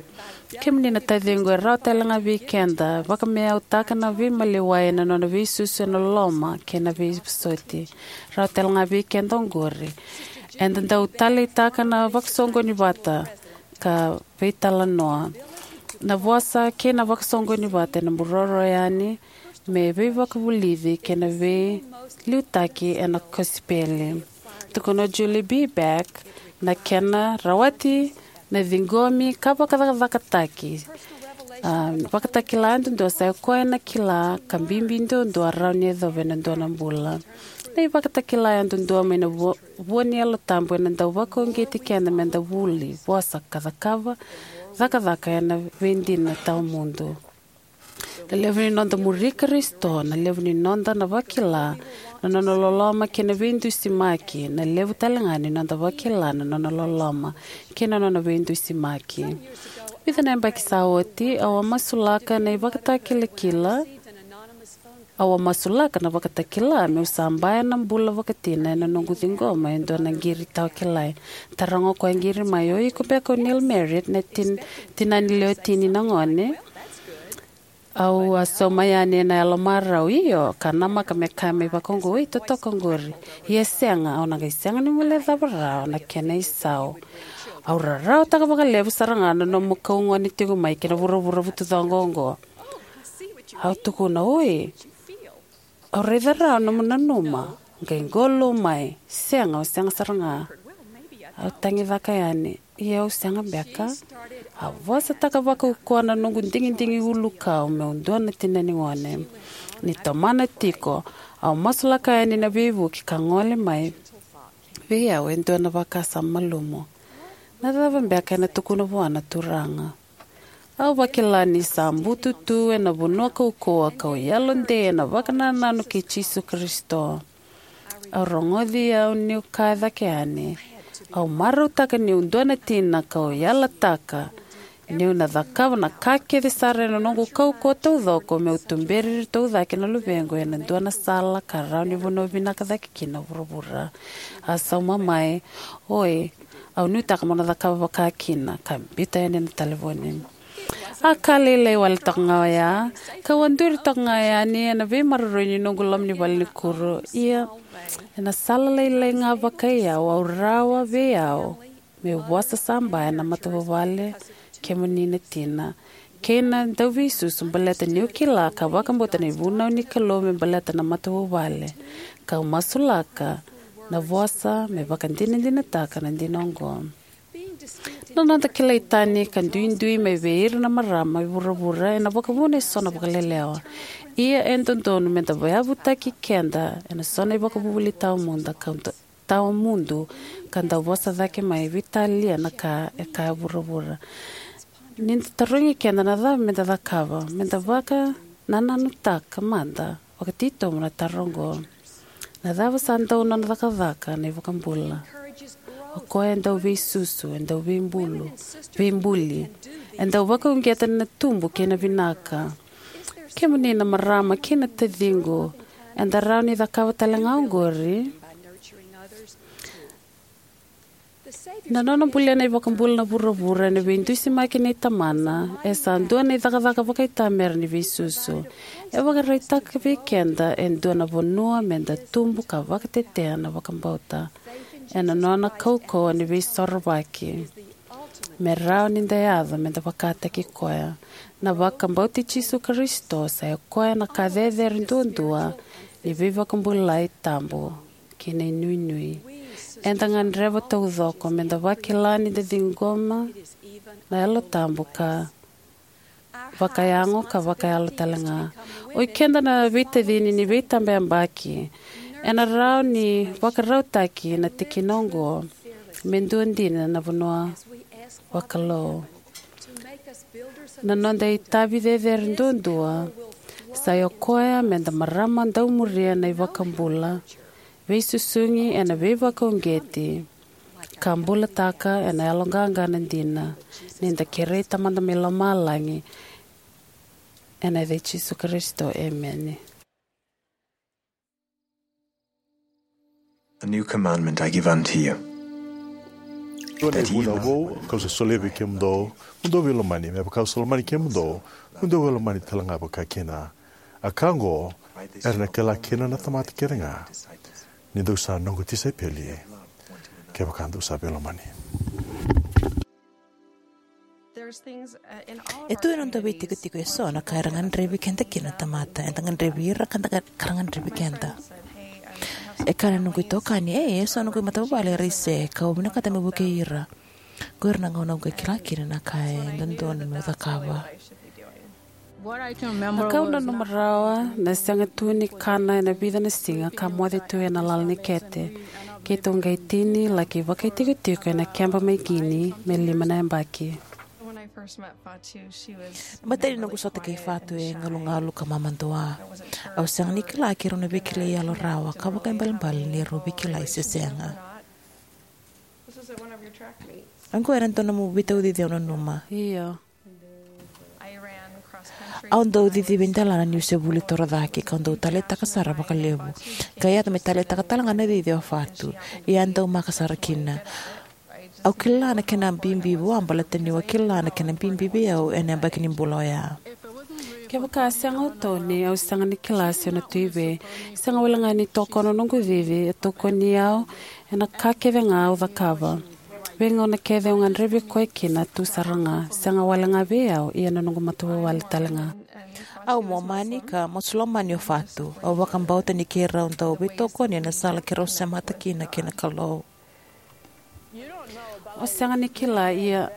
Kemuni na taciqu, e rawa tale ga vei keda vakameautaka na veimaliwai ena nona veisusu ena loloma kei na veivosoti. Rawa tale ga vei keda oqori. Eda dau taleitaka na vakasoqoni vata ka veitalanoa. Na vosa kei na vakasoqoni vata ena buroro yani me veivakavulici kei na veiliutaki ena kosipeli. Tukuna o Julie B. Beck, na kena rawati na ciqomi ka vakacakacakataki. A, vakatakila yadudua sa i koya na kila ka bibi duadua rawa ni yacova ena dua na bula. Na ivakatakila yadudua mai na vo-, vua ni Yalo Tabu ena dau vakauqeti keda me da vuli, vosa ka cakava cakacaka ena veidina tawamudu. Na levu ni noda muri Karisito, na levu ni noda na vakila na nona loloma kei na veidusimaki, na levu tale ga ni noda vakila na nona loloma kei na nona veidusimaki. Vica na yabaki sa oti, au a masulaka na ivakatakilakila, au a masulaka na vakatakila meu sabaya na bula vakatina ena noqu ciqoma e dua na qiri tawakilai. Taroga o koya qiri mai, "O iko beka o Neil Marriott, na tin-, tina ni lewe tini na gone?" Au a sauma yani ena yalomarau, "Io," ka namaka me kaya mai vakaoqo, "Oi, totoka oqori." "Ia sega, au na qai sega ni guilecava rawa na kena isau." "Au rarawataka vakalevu sara ga na nomu kau gone tiko mai ki na vuravura vutucoqo oqo." Au tukuna, "Oi, au raica rawa nomu nanuma." Qai qolou mai, "Sega, au sega sara ga." Au tagicaka yani, "Ia au sega beka?" A vosataka vakaukauwa na noqu digidigi ulukau meu dua na tina ni gone. Ni tomana tiko, au masulaka yani na veivuke ka gole mai vei au e dua na vakasama malumu. Na cava beka ena tukuna vua na Turaga? Au vakila ni sa butu tu ena vanua kaukauwa kau yalodei ena vakanananu kei Jisu Karisito. Au rogoci au niu kaya cake yani, "Au marautaka niu dua na tina kau yalataka niu na cakava na ka kece sara ena noqu kaukauwa taucoko meu tuberi iratou cake na luvequ ena dua na sala ka rawa ni vanua vinaka cake kina o vuravura." A sauma mai, "Oi, au nuitaka mo na cakava vaka kina," ka biuta yani na talevoni. A ka lailai wale toka ga oya, kau a duri toka ga yani ena veimaroroi ni noqu loma ni valenikuro. Ia, ena sala lailai ga vakai au, au rawa vei au meu vosa sabaya na matavuvale, "Kemuni na tina," kei na dauveisusu baleta niu kila ka vakabauta na ivunau ni Kalou me baleta na matavuvale, kau masulaka na vosa me vakadinadinataka na dina oqo. Na noda kilai tani ka duidui mai vei ira na marama e vuravura ena vakavuna eso na vakalelewa. Ia e dodonu me da vayavutaki keda ena so na ivakavuvuli tawamudu ka tawamudu ka dau vosa cake mai veitalia na ka e kaya vuravura. Ni da tarogi keda na cava me da cakava, me da vakanananutaka mada vakatitobu na taro oqo: "Na cava sa dau nona cakacaka na iVakabula?" O koya e dau veisusu, e dau veibulu, veibuli, e dau vakauqeta na tubu kei na vinaka. Kemuni na marama kei na taciqu, eda rawa ni cakava tale ga oqori. Na nona bulia na iVakabula na vuravura ena veidusimaki nei Tamana e sa dua na icakacaka vakaitamera ni veisusu. E vakaraitaka vei keda e dua na vanua meda tubu ka vakatetea na vakabauta ena nona kaukauwa ni veisorovaki, me rawa ni da yaco meda vakataki koya. Na vakabauti Jisu Karisito sa i koya na ka cecere duadua ni veivakabulai tabu kei na inuinui. Eda gadreva taucoko meda vakila ni da ciqoma na Yalo Tabu ka vakayago ka vakayalo talega. Oi keda na veitacini ni veitabayabaki, ena rawa ni vakarautaki na tikina oqo me dua dina na vanua vakalou. Na noda itavi cecere duadua sa i koya meda marama dau muria na iVakabula, veisusugi ena veivakauqeti, ka bulataka ena yaloqaqa na dina, ni da kerei Tamada mai lomalagi. Ena yaca i Jisu Karisito, emeni. A new commandment I give unto you, that ye love one another. Dua na ivuna vou kau sa solia vei kemudou, mo dou veilomani, me vaka au sa lomani kemudou, mo dou veilomani talega vakakina. A ka oqo era na kila kina na tamata kecega, ni dou sa noqu tisaipeli, kevaka dou sa veilomani. E tu ena noda veitikotiko eso na ka era gadrevi keda kina na tamata, eda gadrevi ira ka da ga-, ka ra gadrevi keda. E kaya na noqu itokani, "Ei, eso noqu matavuvale era i se, kau vinakata meu vukei ira." Qo era na gauna au qai kila kina na ka e dodonu meu cakava. Na ka au nanuma rawa, na sega tu ni kana ena vica na siga ka moce tu ena lala ni kete. Keitou qai tini, laki vakaitikotiko ena keba mai Guinea me lima na yabaki. Matai ni noqu sota kei Fatu e galugalu ka mamadua. Au sega ni kila keirau na veikilai yalo rawa ka vakaibalebale ni rau veikilai se sega. Oqo era dua na nomu veitaucici au nanuma. Io. Au dau cici veidelana niu se vuli torocake, kau dau taleitaka sara vakalevu. Ka yaco me taleitaka talega na cici o Fatu. Ia a dau maka sara kina. Au kila na kena bibi vua baleta niu a kila na kena bibi vei au ena yabaki ni bula oya. Kevaka a sega o Tony, au sega ni kila se au na tu i vei. Sega wale ga ni tokona noqu cici, e tokoni au ena ka kece ga au cakava. Veigauna kece au gadrevi koya kina tu sara ga, sega wale ga vei au, ia na noqu matavuvale talega. Au Momani ka masulomani o Fatu. Au vakabauta ni keirau dau veitokoni ena sala keirau semata kina kei na Kalou. O sega ni kila, ia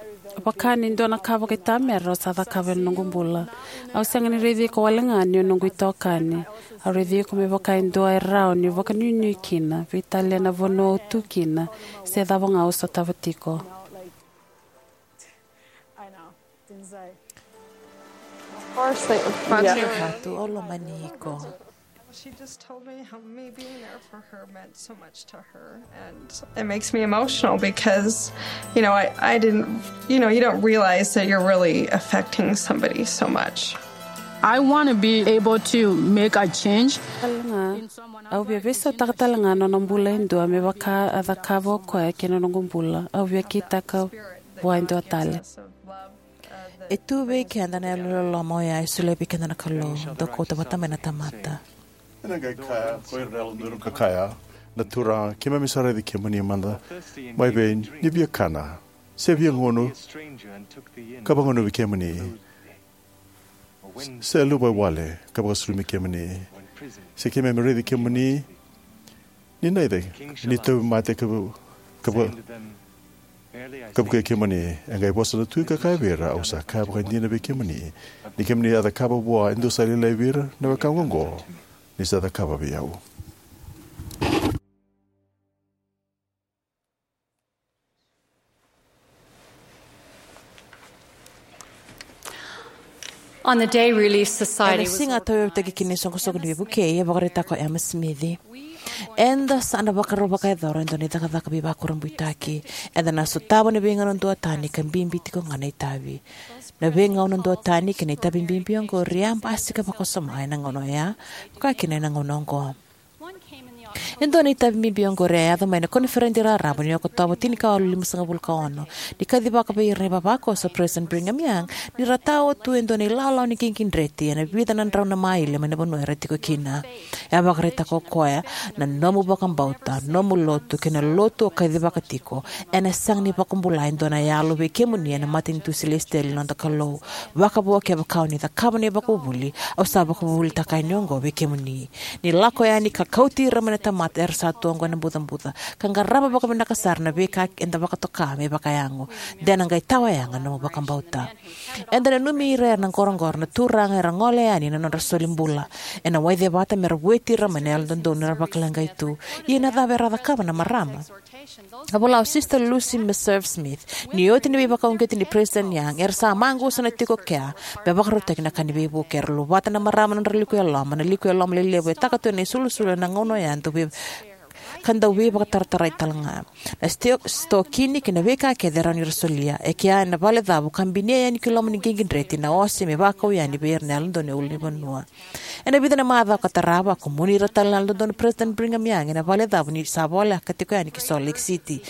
vaka ni dua na ka vakaitamera au sa cakava ena noqu bula. Au sega ni raici iko wale ga ni o noqu itokani. Au raici iko me vaka e dua e rawa niu vakanuinui kina, veitalia na vanua au tu kina, se cava ga au sotava tiko. Of course they, yeah. Fatu, au lomani iko. She just told me how me being there for her meant so much to her, and it makes me emotional because, you know, I, I didn't, you know, you don't realize that you're really affecting somebody so much. I want to be able to make a change. Au via veisautaka talega na nona bula e dua me vaka a cakava o koya kei na noqu bula. Au via kitaka vua e dua tale. E tu vei keda na yalololoma oya e solia vei keda na Kalou, dau kauta vata mai na tamata. Ena qai kaya ko ira na yalododonu ka kaya, "Na Turaga, keimami sa raici kemuni mada mai vei ni via kana, se via gunu ka vagunuvi kemuni, se luvawale ka vakasulumi kemuni, se keimami raici kemuni ni naica ni tauvimate ka vu-, ka vu-, ka vukei kemuni." E qai vosa na tui ka kaya vei ira, "Au sa kaya vakaidina vei kemuni, ni kemuni a cakava vua e dua sa lailai vei ira na wekaqu oqo, ni sa cakava vei au." On the day Relief Society. Ena siga a tauyavutaki kina na isoqosoqo ni veivukei, e vakaraitaka o Emma Smith, "Eda sa na vakarau vakayacora e dua na icakacaka veivakurabuitaki. Eda na sotava na veigauna duatani ka bibi tiko ga na itavi. Na veigauna duatani kei na itavi bibi oqori e a basika vakawasoma ena gauna oya, vaka kina ena gauna oqo." E dua na itavi bibi oqori e a yaco mai na koniferedi raraba ni Okotova tinikawalu limasagavulu ka ono, ni kacivaka vei ira na ivavakoso o President Brigham Young ni ra tawa tu e dua na ilawalawa ni qiqidreti ena vica na drau na maile mai na vanua era tiko kina. E a vakaraitaka o koya, na nomu vakabauta, nomu lotu kei na lotu o kacivaka tiko, ena sega ni vakabula e dua na yalo vei kemuni ena matanitu silesitieli ni noda Kalou. Vakavo kevaka o ni cakava na ivakavuvuli au sa vakavuvulitaka yani oqo vei kemuni. Ni lako yani ka kauti ira mai na tamata era sa tu oqo ena bucabuca, ka qarava vakavinaka sara na veika eda vakatoka me vakayago, de na qai tawayaga na nomu vakabauta. Eda nanumi ira era na qoroqoro na turaga era gole yani na nodra soli bula, ena waicevata me ra vueti ira mai na yalododonu era vakaleqai tu. Ia na cava era a cakava na marama? A vola o Sister Lucy Meserve Smith, ni oti na veivakauqeti ni President Young, era sa maqusa na tiko kea me vakarautaki na ka ni veivuke. Era luvata na marama na nodra liku eloma, na liku eloma lelevu e taka tu ena isulusulu ena gauna oya dau vei ka dau veivakataratarai tale ga. Na sto-, stokini kei na veika kece e rawa ni ra solia e kea ena valecavu ka binia yani ki loma ni qiqidreti na ose me vakau yani vei ira na yalododonu e ulunivanua. Ena vica na macawa ka tarava, a kumuni ira tale na yalododonu o President Brigham Young ena valecavu ni sa voleka tiko yani ki Salt Lake City.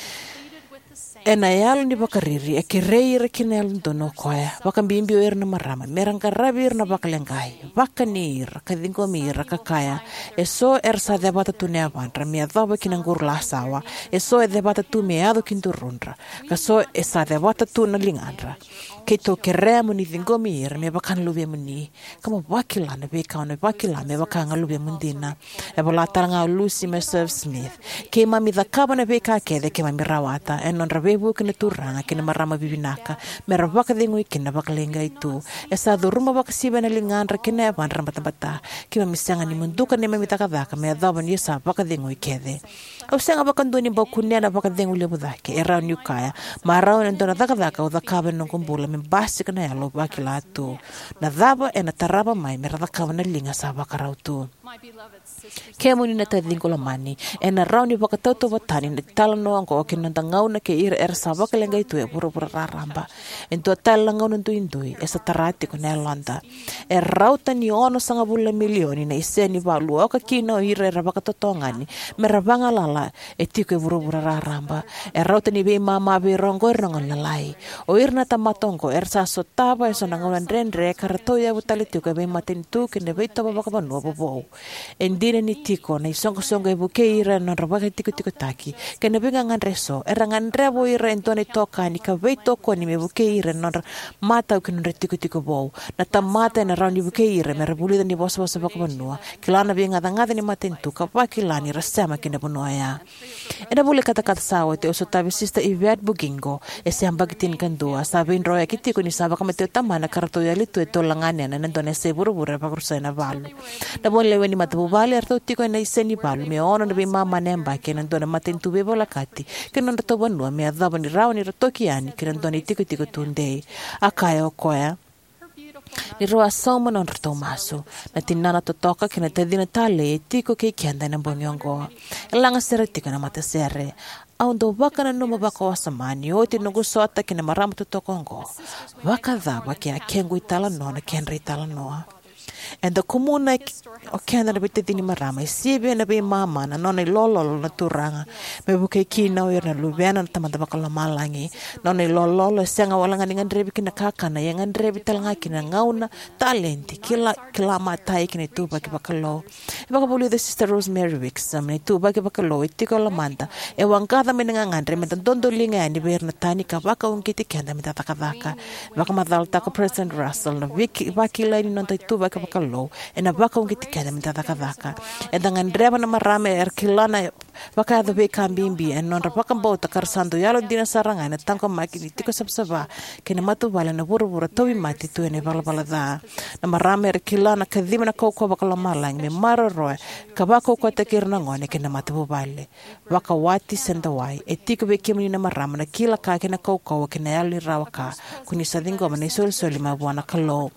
Ena yalo ni vakariri, e kerei ira kina na yalododonu o koya, vakabibi o ira na marama, me ra qaravi ira na vakaleqai, vakani ira, ka ciqomi ira, ka kaya, eso era sa cevata tu na yavadra me yacova ki na qurulasawa, eso e cevata tu me yaco ki durudra, ka so e sa cevata tu na ligadra. Keitou kerea mo ni ciqomi ira me vaka na luvemuni, ka mo vakila na veika o na vakila me vaka ga luvemu dina. E vola tale ga o Lucy Meserve Smith, keimami cakava na veika kece keimami rawata ena nodra veivuke na turaga kei na marama vivinaka, me ra vakacegui kina na vakaleqai tu. E sa curuma vakasivia na ligadra kei na yavadra na batabata. Keimami sega ni muduka neimami cakacaka me yacova ni sa vakacegui kece. Au sega vakadua ni bau kunea na vakacegu levu cake, e rawa niu kaya, marau ena dua na cakacaka au cakava ena noqu bula me basika na yalo au vakila tu. Na cava ena tarava mai me ra cakava na liga sa vakarau tu? Kemuni na taciqu lomani, ena rawa ni vakatautauvatani na italanoa oqo kei na noda gauna kei ira era sa vakaleqai tu e vuravura raraba. E dua tale na gauna duidui e sa tara tiko na yaloda. E rauta ni onosagavulu na milioni na isenivalu oka kina o ira era vakatotogani me ra vagalala e tiko e vuravura raraba. E rauta ni veimama vei ira oqo era na gone lalai. O ira na tamata oqo era sa sotava eso na gauna dredre ka ra tauyavu tale tiko e veimatanitu kei na veitovo vakavanua vovou. E dina ni tiko na isoqosoqo e vukei ira ena nodra vakatikotikotaki kei na veigagadre eso, era gadreva o ira e dua na itokani ka veitokoni me vukei ira ena nodra matau ki na nodra itikotiko vou. Na tamata ena rawa ni vukei ira me ra vulica na ivosavosa vakavanua, kila na veigacagaca ni matanitu, ka vakila ni ra sema ki na vanua oya. Ena vula i katakata sa oti, au sotavi Sister Yvette Bugingo, e se yabaki tinikadua, sa veidroyaki tiko ni sa vakamatei o tamana ka ratou yali tu e tolu na ganena ena dua na yasai vuravura e vakarusai ena valu. Na vunilewe ni matavuvale, eratou tiko ena isenivalu me ono na veimama na yabaki ena dua na matanitu veivolekati ki na nodratou vanua, me yacova ni rawa ni ra toki yani ki na dua na itikotiko tudei. A kaya o koya ni rau a sauma na nodratou masu. Na tinana totoka kei na tacina talei e tiko kei keda ena bogi oqo. E lagasere tiko ena matasere. Au dau vakananuma vakawasoma ni oti noqu sota kei na marama totoka oqo, vakacava ke a kequ italanoa na kedra italanoa? Eda kumuna o keda na veitacini marama e sivia na veimama na nona ilololo na Turaga, me vukei kina o ira na luvena na Tamada Vakalomalagi. Na nona ilololo e sega walega ni gadrevi kina kakana, ia e gadrevi talega kina gauna, taledi, kila, kila matai kei na ituvaki vakalou. E vakavulica o Sister Rosemary Wixom, na ituvaki vakalou e tiko e lomada e waqaca mai na gagadre meda dodoliga yani vei ira na tani ka vakauqeti keda meda cakacaka. Vakamacalataka o President Russell, na vaki-, vakilai ni noda ituvaki vakalou ena vakauqeti keda meda cakacaka. Eda gadreva na marama era kila na vakayaco veika bibi ena nodra vakabauta ka ra sa dau yalodina sara ga ena taqomaki ni tiko savasava kei na matavuvale ena vuravura tauvimate tu ena ivalavala ca. Na marama era kila na kaciva na kaukauwa vakalomalagi me maroroya ka vakaukauwataki ira na gone kei na matavuvale. Vakawati se dawai, e tiko vei kemuni na marama na kila ka kei na kaukauwa kei na yalo ni rawa ka ko ni sa ciqoma na isolisoli mai vua na Kalou.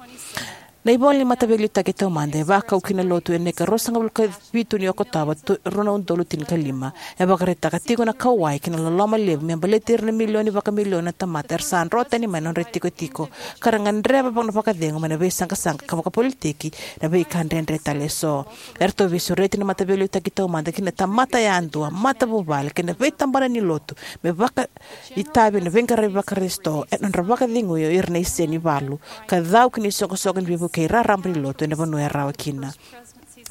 Na ivola ni Mataveiliutaki Taumada e vakau ki na Lotu ena ika ruasagavulu ka vitu ni Okotova, tu- rua na udolu tinikalima. E vakaraitaka tiko na kauwai kei na loloma levu me baleti ira na milioni vakamilioni na tamata era sa dro tani mai na nodra itikotiko, ka ra gadreva na vakacegu mai na veisaqasaqa ka vakapolitiki, na veika dredre tale eso. Eratou veisureti na Mataveiliutaki Taumada ki na tamata yadua, matavuvale, kei na veitabana ni Lotu me vakaitavi ena veiqaravi Vakarisito ena nodra vakacegui o ira na isenivalu ka cau ki na isoqosoqo ni veivukei raraba ni Lotu ena vanua e rawa kina.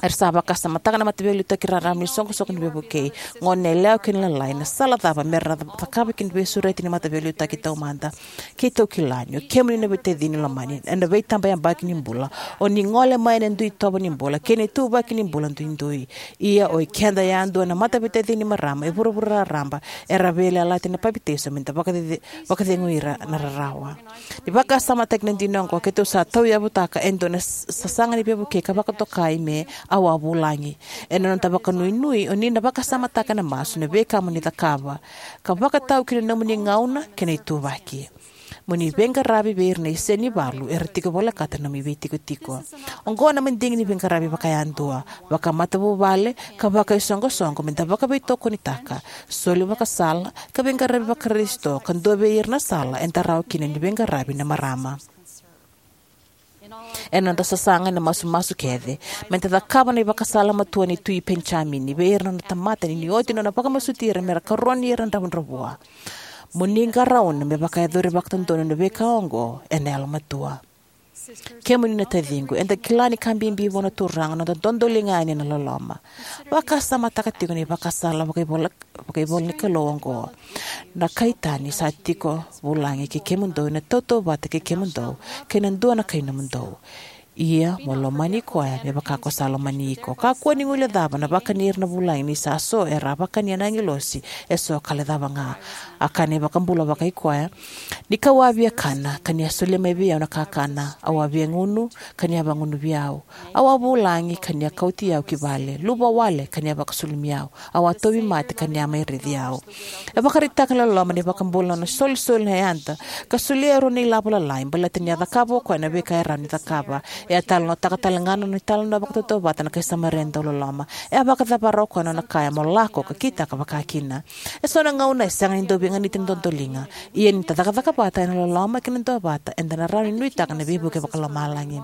Era sa vakasamataka na Mataveiliutaki Raraba ni Soqosoqo ni Veivukei, Goneyalewa kei na Lalai, na sala cava me ra cakava kina na veisureti ni Mataveiliutaki Taumada. Keitou kila ni o kemuni na veitacini lomani, ena veitabayabaki ni bula, o ni gole mai ena dui itovo ni bula kei na ituvaki ni bula duidui. Ia o ikeda yadua na mataveitacini marama e vuravura raraba era veiyalayalati ena papitaiso me da vakacece- vakacegui ira na rarawa. Ni vakasamataki na dina oqo, keitou sa tauyavutaka e dua na s- sasaga ni veivukei ka vakatokai me Au a Vulagi. Ena noda vakanuinui, o ni na vakasamataka ena masu na veika mo ni cakava ka vakatau ki na nomuni gauna kei na ituvaki. Mo ni veiqaravi vei ira na isenivalu era tiko volekata na nomuni veitikotiko. Oqo na madigi ni veiqaravi vakayadua, vakamatavuvale, ka vakaisoqosoqo me da vakaveitokonitaka, soli ivakasala, ka veiqaravi Vakarisito ka dua vei ira na sala eda rawa kina ni veiqaravi na marama. Ena noda sasaga ena masumasu kece, me da cakava na ivakasala matua ni Tui Penijamini vei ira na nona tamata ni ni oti nona vakamasuti ira me ra karoni ira na dravudravua: Mo ni qarauna me vakayacori vakadodonu na veika oqo ena yalomatua. Kemuni na taciqu, eda kila ni ka bibi vua na Turaga na noda dodoliga yani ena loloma. Vakasamataka tiko na ivakasala vakaivola, vakaivola ni Kalou oqo: Na kai tani sa tiko vulagi kei kemudou ena tautauvata kei kemudou, kei na dua na kai nomudou. Ia mo lomani koya me vaka ko sa lomani iko. Kakua ni guilecava na vakani ira na vulagi, ni sa so era a vakania na agilosi, eso ka lecava ga. A kaya na iVakabula vakaikoya: Ni kau a via kana, ka ni a solia mai vei au na kakana; au a via gunu, ka ni a vagunuvi au; au a vulagi, ka ni a kauti au ki vale; luvawale, ka ni a vakasulumi au; au a tauvimate, ka ni a mai raici au. E vakaraitaka na loloma ni iVakabula na nona solisoli na yada ka solia e rua na ilavo lalai baleta ni a cakava o koya na veika e rawa ni cakava. E a talanoataka talega na nona italanoa vakatautauvata na kai Samaria dauloloma. E a vakacavara o koya na nona kaya mo lako ka kitaka vakakina. Eso na gauna e sega ni dau veiganiti na dodoliga. Ia ni da cakacaka vata ena loloma kei na duavata, eda na rawa ni nuitaka na veivuke vakalomalagi.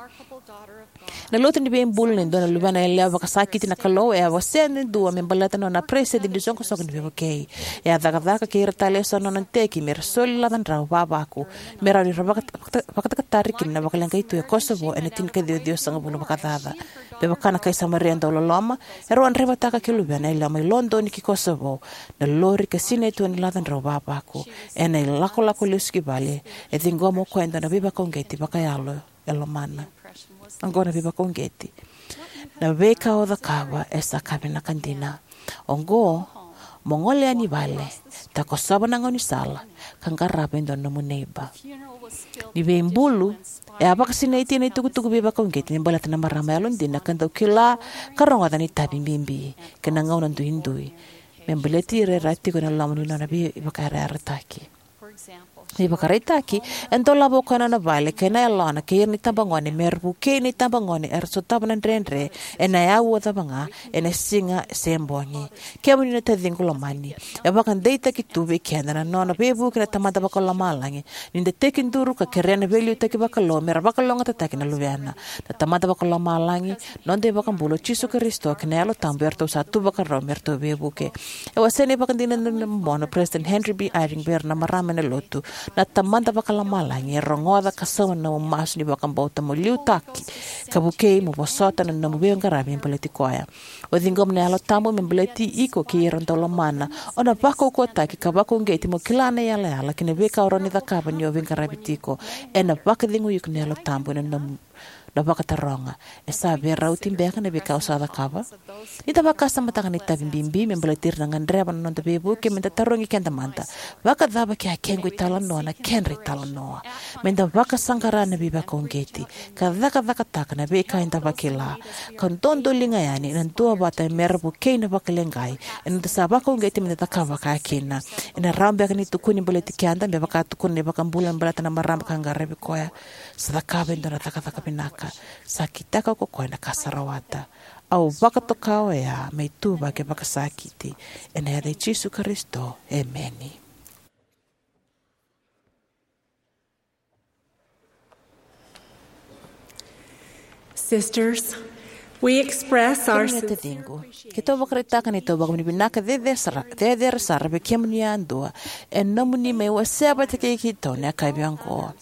Na lotu ni veibulu nei dua na luvena yalewa vakasakiti na Kalou e a wasea e dua me baleta na nona peresitedi ni soqosoqo ni veivukei. E a cakacaka kei ira tale eso na nona iteki me ra soli lacadrau vavaku me rawa ni ra vaka- vaka- vakatakatari kina na vakaleqai tu e Kosovo ena tinikaciwa ciwasagavulu vakacaca. Me vaka na kai Samaria dauloloma, erau a draivataka kei luvena yalewa mai Lodoni ki Kosovo na lori ka sinai tu ena lacadrau vavaku. Ena ilakolako lesu ki vale, e ciqoma o koya e dua na veivakauqeti vakayalo e lomana. Oqo na veivakauqeti: Na veika o cakava e sa ka vinaka dina. Oqo, mo gole yani i vale, takosova na gaunisala, ka qarava e dua na nomu neiba. Ni veibulu, e a vakasinaiti ena itukutuku veivakauqeti me baleta na marama yalodina ka dau kila ka rogoca na itavi bibi kei na gauna duidui me baleti ira era tiko ena loma ni nona veivakayarayarataki. Me ivakaraitaki, e dolava o koya na nona vale kei na yalona kei ira na itabagone me ra vukei na itabagone era sotava na dredre ena auwa cava ga, ena siga se bogi. Kemuni na taciqu lomani, e vakadeitaki tu vei keda na nona veivuke na Tamada Vakalomalagi ni da tekiduru ka kerea na veiliutaki vakalou me ra vakalougatataki na luvena. Na Tamada Vakalomalagi, noda iVakabula o Jisu Karisito, kei na Yalo Tabu eratou sa tu vakarau me ratou veivuke. E wasea na ivakadinadina bobo o President Henry B. Eyring vei ira na marama ena Lotu: Na Tamada Vakalomalagi e rogoca ka sauma na nomu masu ni vakabauta mo liutaki ka vukei mo vosota na nomu veiqaravi me baleti koya. O ciqoma na Yalo Tabu me baleti iko kei ira dau lomana. O na vakaukauwataki ka vakauqeti mo kila na iyalayala kei na veika o rawa ni cakava ni o veiqaravi tiko. Ena vakacegui iko na Yalo Tabu ena nomu na vakataroga: E sa veirauti beka na veika au sa cakava? Ni da vakasamataka na itavi bibi me baleti ira na gadreva na noda veivuke, me da tarogi keda mada: Vakacava ke a kequ italanoa na kedra italanoa? Me da vakasaqara na veivakauqeti ka cakacakataka na veika eda vakila, ka dodoliga yani ena duavata me ra vukei na vakaleqai eda sa vakauqeti me da cakava vakakina. Ena rawa beka ni tukuni baleti keda me vaka a tukuna na iVakabula me baleta na marama ka qaravi koya: Sa cakava e dua na cakacaka vinaka. vakasakitaka, sa kitaka ko koya na ka sa rawata. Au vakatoka oya me ituvaki vakasakiti. Ena yaca i Jisu Karisito, emeni. Sisters, we express our Kemuni na taciqu, keitou vakaraitaka na neitou vakavinavinaka cecere sara, cecere sara vei kemuni yadua ena nomuni mai wasea vata kei keitou na yakavi oqo.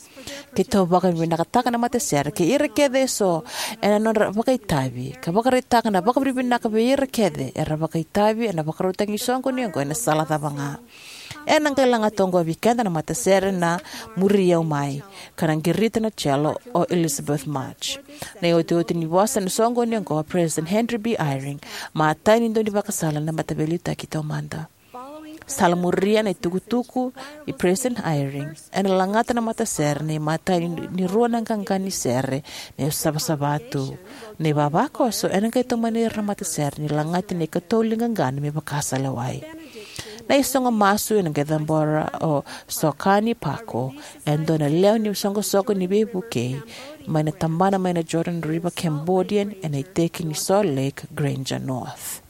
Keitou vakavinavinakataka na matasere kei ira kece eso ena nodra vakaitavi, ka vakaraitaka na vakavinavinaka vei ira kece era vakaitavi ena vakarautaki ni soqoni oqo ena sala cava ga. Ena qai lagata oqo vei keda na matasere na Muri Au Mai, ka na qirita na cello o Elizabeth March. Na iotioti ni vosa ena soqoni oqo o President Henry B. Eyring, matai ni dau ni vakasala na Mataveiliutaki Taumada. Sa la muria na itukutuku i President Eyring, ena lagata na matasere na imatai ni, ni rua na qaqa ni sere, na iSavasava Tu. Na ivavakoso ena qai tomani ira na matasere ni lagati na ikatolu ni qaqana me vaka sa lewai. Na isogo masu ena qai cabora o Sokani Pako, e dua na lewe ni soqosoqo ni veivukei mai na tabana mai na Jordan River Cambodian, ena iteki ni Salt Lake Granger North.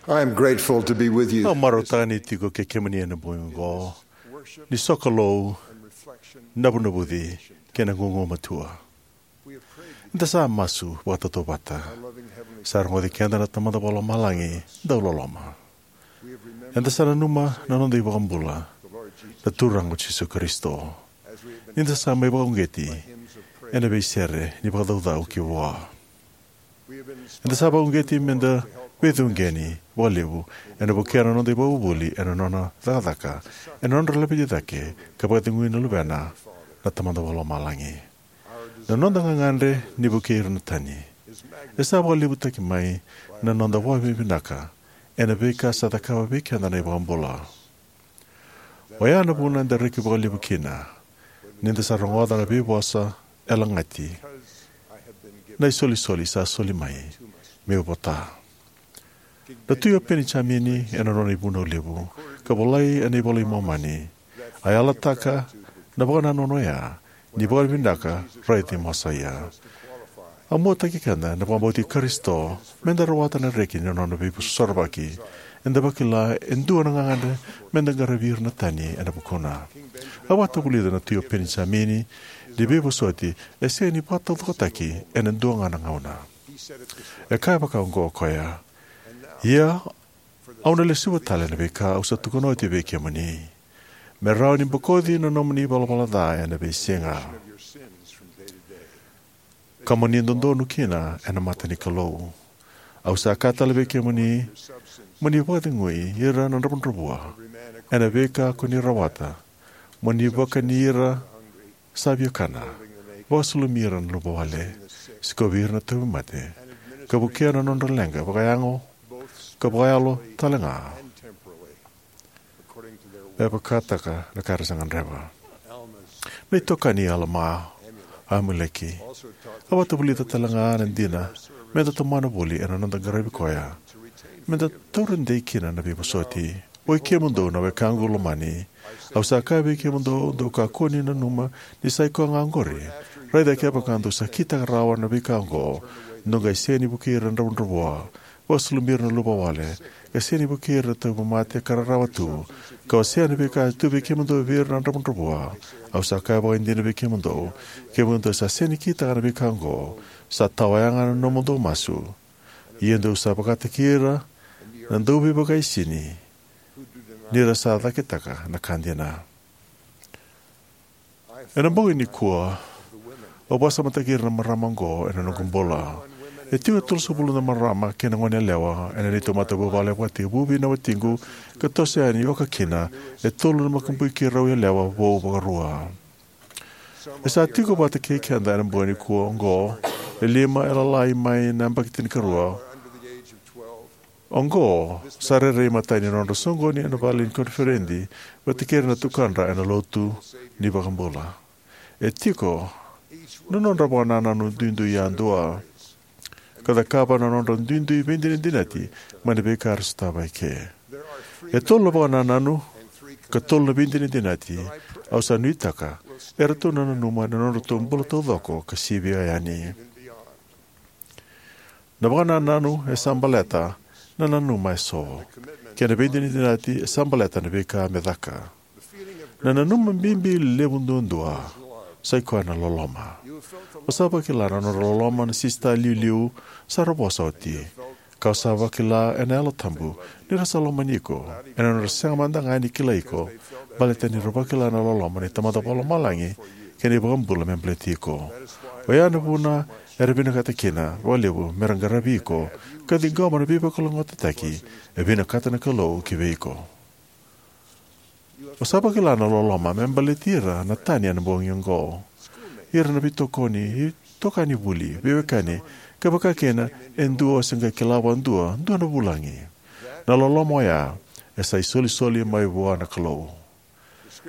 I am grateful to be with you. Au marautaka ni tiko kei kemuni ena bogi oqo ni sokalou, navunavuci, kei na gugumatua. Eda sa masu vakatautauvata. Sa rogoci keda na Tamada Vakalomalagi dauloloma. Eda sa nanuma na noda iVakabula, na Turaga o Jisu Karisito, ni da sa mai vakauqeti ena veisere ni vakacaucau ki vua. Eda sa vakauqeti meda veicuqeni vakalevu ena vukea na noda ivakavuvuli ena nona cakacaka, ena nodra laveti cake ka vakacegui na Luvena, na Tamada Vakalomalagi. Na noda gagadre ni vukei ira na tani e sa vakalevutaki mai na noda vakavinavinaka ena veika sa cakava vei keda na iVakabula. Oya na vuna eda reki vakalevu kina ni da sa rogoca na veivosa e lagati, na isolisoli sa soli mai meu vota. Na Tui o Penijamini, ena nona ivunau levu ka volai ena iVola i Momani, a yalataka na vakanananu oya ni vakavinavinaka raici Mosaia. A muataki keda na vakabauti Karisito meda rawata na reki ni nona veisorovaki. Eda vakila e dua na gagadre meda qaravi ira na tani ena vukuna. A vakatavulica na Tui o Penijamini ni veivosoti e sega ni vakataucokotaki ena dua ga na gauna. E kaya vakaoqo o koya: "Ia, au na lesuva tale na veika au sa tukuna oti vei kemuni, me rawa ni bokoci na nomuni ivalavala ca ena veisiga, ka mo ni dodonu kina ena mata ni Kalou. Au sa kaya tale vei kemuni, mo ni vakacegui ira na dravudravua ena veika ko ni rawata, mo ni vakani ira sa viakana, vakasulumi ira na luvawale, sikovi ira na tauvimate, ka vukea na nodra leqa vakayago ka vakayalo talega, me vakataka na ka era sa gadreva." Na itokani Alama, Amuleki, a vakatavulica talega na dina meda tomana voli ena noda qaravi koya, meda taura dei kina na veivosoti. "Oi kemudou na wekaqu lomani, au sa kaya vei kemudou, dou kakua ni nanuma ni sa i koya ga oqori. Raica kevaka dou sa kitaka rawa na veika oqo, dou qai sega ni vukei ira na dravudravua, vakasulumi ira na luvawale, ka sega ni vukei ira na tauvimate ka rarawa tu, ka wasea na veika e tu vei kemudou vei ira na dravudravua. Au sa kaya vakaidina vei kemudou, kevaka dou sa sega ni kitaka na veika oqo, sa tawayaga na nomudou masu. Ia dou sa vakataki ira na dauveivakaisini, ni ra sa cakitaka na ka dina." Ena bogi nikua, au vakasamataki ira na marama oqo ena noqu bula. E tiko e tolusagavulu na marama kei na goneyalewa ena neitou matavuvale vakatekivu vei na watiqu, ka toso yani oka kina e tolu na makubui keirau yalewa vou vakarua. E sa tiko vata kei keda ena bogi nikua oqo e lima e lalai mai na yabaki tinikarua. Oqo sa rairai matai ni nodra soqoni ena vale ni koniferedi vata kei ira na tukadra ena lotu ni iVakabula. E tiko na nodra vakanananu duidui yadua, ka cakava na nodra duidui veidinadinati mai na veika era sotava eke. E tolu na vakanananu ka tolu na veidinadinati au sa nuitaka eratou na nanuma ena nodratou bula taucoko ka sivia yani. Na vakanananu e sa baleta na nanuma eso, kei na veidinadinati e sa baleta na veika me caka. Na nanuma bibi levu duadua sa i koya na loloma. O sa vakila na nodra loloma na sisita iliuliu sa ra vosa oti, ka o sa vakila ena Yalo Tabu ni ra sa lomani iko ena nodra sega mada ga ni kilai iko, baleta ni ra vakila na loloma ni Tamada Vakalomalagi kei na iVakabula me baleti iko. Oya na vuna era vinakata kina vakalevu me ra qaravi iko ka ciqoma na veivakalougatataki e vinakata na Kalou ki vei iko. O sa vakila na loloma me baleti ira na tani ena bogi oqo, ira na veitokoni, itokani vuli, veiwekani, ka vaka kina e dua o se qai kila vakadua, dua na vulagi. Na loloma oya e sa isolisoli mai vua na Kalou.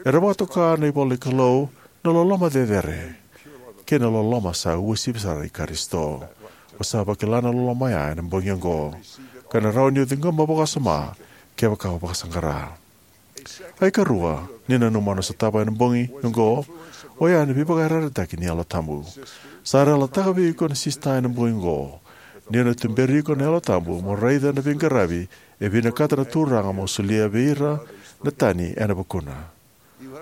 Era vakatoka na ivola ni Kalou na loloma cecere kei na loloma sa uasivi sara i Karisito. O sa vakila na loloma oya ena bogi oqo, ka na rawa ni o ciqoma vakawasoma kevaka o vakasaqara. A ikarua ni nanuma o na sotava ena bogi oqo, oya na veivakayarayarataki ni Yalo Tabu. Sa yalataka vei iko na sisita ena bogi oqo ni o na tuberi iko na Yalo Tabu mo raica na veiqaravi E vinakata na Turaga mo solia vei ira na tani ena vukuna.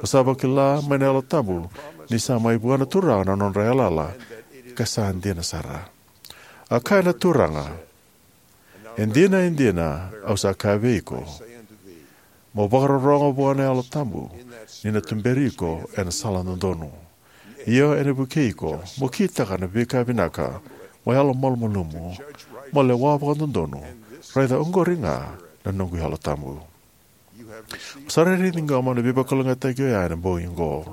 O sa vakila mai na Yalo Tabu ni sa mai vua na Turaga na nodra yalayala ka sa dina sara. A kaya na Turaga, e dina, e dina, au sa kaya vei iko, mo vakarorogo vua na Yalo Tabu, ni na tuberi iko ena sala dodonu. Io, ena vukei iko mo kitaka na veika vinaka, mo yalomalumalumu, mo lewa vakadodonu. Raica, oqori ga na noqu Yalo Tabu. Sa rairai ciqoma na veivakalougatataki oya ena bogi oqo.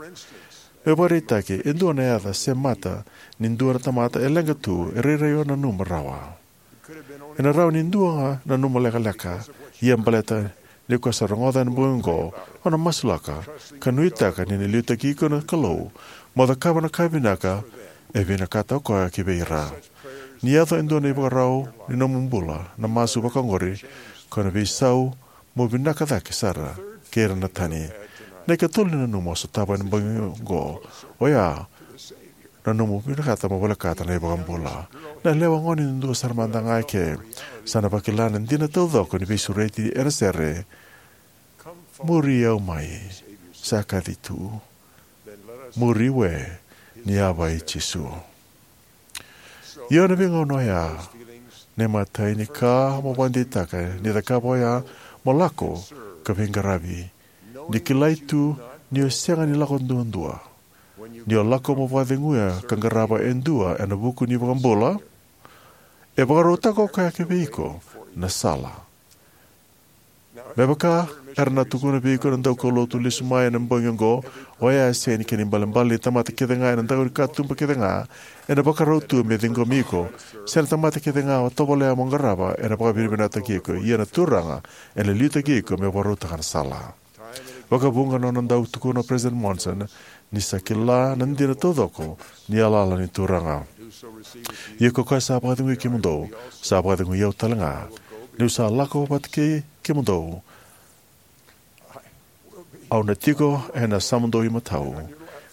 Me vakaraitaki, e dua na yaca se mata ni dua na tamata e leqa tu, e rairai o nanuma rawa. Ena rawa ni dua ga nanuma lekaleka, ia baleta ni ko sa rogoca ena bogi oqo, o na masulaka ka nuitaka ni na liutaki iko na Kalou mo cakava na ka vinaka e vinakata o koya ki vei ira. Ni yaco e dua na ivakarau ni nomu bula, na masu vaka oqori, ko na veisau mo vinaka cake sara kei ira na tani. Na ikatolu ni nanuma au sotava ena bogi oqo, oya na nomu vinakata mo volekata na iVakabula. Na lewa gone duadua sara mada ga eke sa na vakila na dina taucoko ni veisureti ena sere. Muri au mai, sa kaci tu. Muri we, ni yava i Jisu. Io, ena veigauna oya, na imatai ni ka mo vakadeitaka ni cakava oya mo lako ka veiqaravi, ni kilai tu ni o sega ni lako duadua. Ni o lako mo vakaceguya ka qarava e dua ena vuku ni iVakabula, e vakarautaka o koya ki vei iko na sala. Me vaka era na tukuna vei iko na daukaulotu lesu mai ena bogi oqo, oya e sega ni kena ibalebale ni tamata kece ga ena daku ni katuba kece ga ena vakarau tu me ciqomi iko, se na tamata kece ga o tovolea mo qarava ena vakavinavinakataki iko, ia na Turaga ena liutaki iko me vakarautaka na sala. Vakavuqa na nona dau tukuna o President Monson ni sa kila na dina taucoko ni yalayala ni Turaga. Ia ko koya sa vakacegui kemudou, sa vakacegui au talega. Niu sa lako vata kei kemudou, au na tiko ena yasamudou imatau,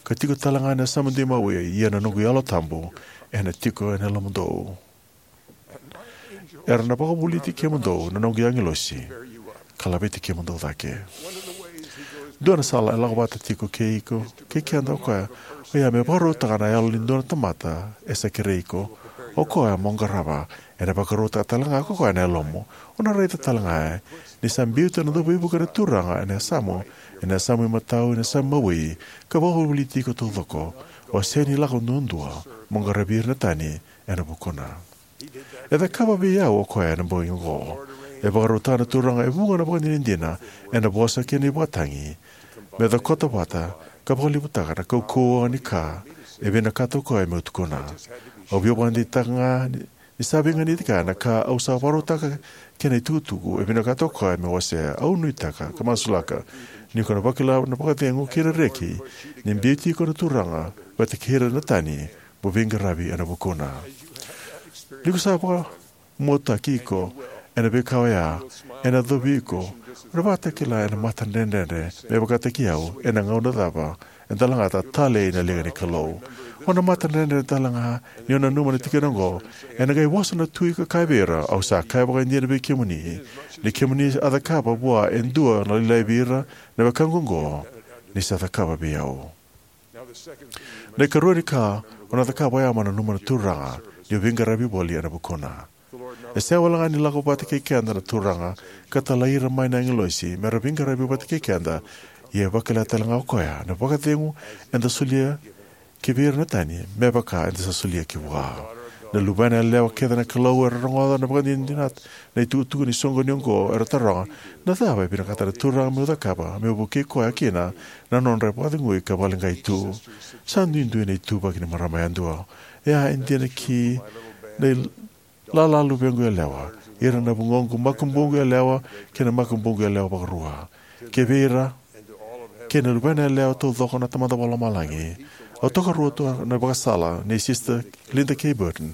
ka tiko talega ena yasamudou imawi, ia na noqu Yalo Tabu ena tiko ena yalomudou. Era na vakavulici kemudou na noqu agilosi ka laveti kemudou cake. Dua na sala e lako vata tiko kei iko kei keda o koya, oya me vakarautaka na yalo ni dua na tamata e sa kerei iko o koya mo qarava. Ena vakarautaka talega ko koya na yalomu. O na raica talega ni sa biuta na dauveivuke na Turaga ena yasamu, ena yasamu imatau, ena yasamu imawi, ka vakavulici iko taucoko. O sega ni lako duadua mo qaravi ira na tani ena vukuna. E cakava vei au o koya ena bogi oqo. E vakarautaka na Turaga e vuqa na vakadinadina ena vosa kei na ivakatagi me cokota vata ka vakalevutaka na kaukauwa ni ka e vinakata o koya meu tukuna. Au via vakadeitaka ga ni sa veiganiti kaya na ka au sa vakarautaka kei na itukutuku e vinakata o koya meu wasea. Au nuitaka ka masulaka ni ko na vakila na vakacegu kei na reki ni biuti iko na Turaga vata kei ira na tani mo veiqaravi ena vukuna. Ni ko sa vakamuataki iko ena veika oya, ena yacovi iko, o na vakatakila ena matadredredre me vakataki au ena gauna cava e da lagata talei na liga ni Kalou. O na matadredredre talega ni o nanuma na tikina oqo, ena qai vosa na Tui ka kaya vei ira, au sa kaya vakaidina vei kemuni, ni kemuni a cakava vua e dua na lailai vei ira na wekaqu oqo, ni sa cakava vei au. Na ikarua ni ka o na cakava oya mo nanuma na Turaga ni o veiqaravi voli ena vukuna. E sega walega ni lako vata kei keda na Turaga ka talai ira mai na agilosi me ra veiqaravi vata kei keda, ia e vakila talega o koya na vakacegu eda solia ki vei ira na tani me vaka eda sa solia ki vua. Na luvena yalewa kece na Kalou era rogoca na vakadinadina na itukutuku ni soqoni oqo era taroga, na cava e vinakata na Turaga meu cakava meu vukei koya kina na nodra vakacegui ka vakaleqai tu? Sa duidui na ituvaki ni marama yadua. Ia e dina ki na ilala luvequ yalewa, ira na vugoqu makubuqu yalewa kei na makubuqu yalewa vakarua, kei vei ira kei na luvena yalewa taucoko na Tamada Vakalomalagi. Au tokaruataka na ivakasala nei Sister Linda K. Burton.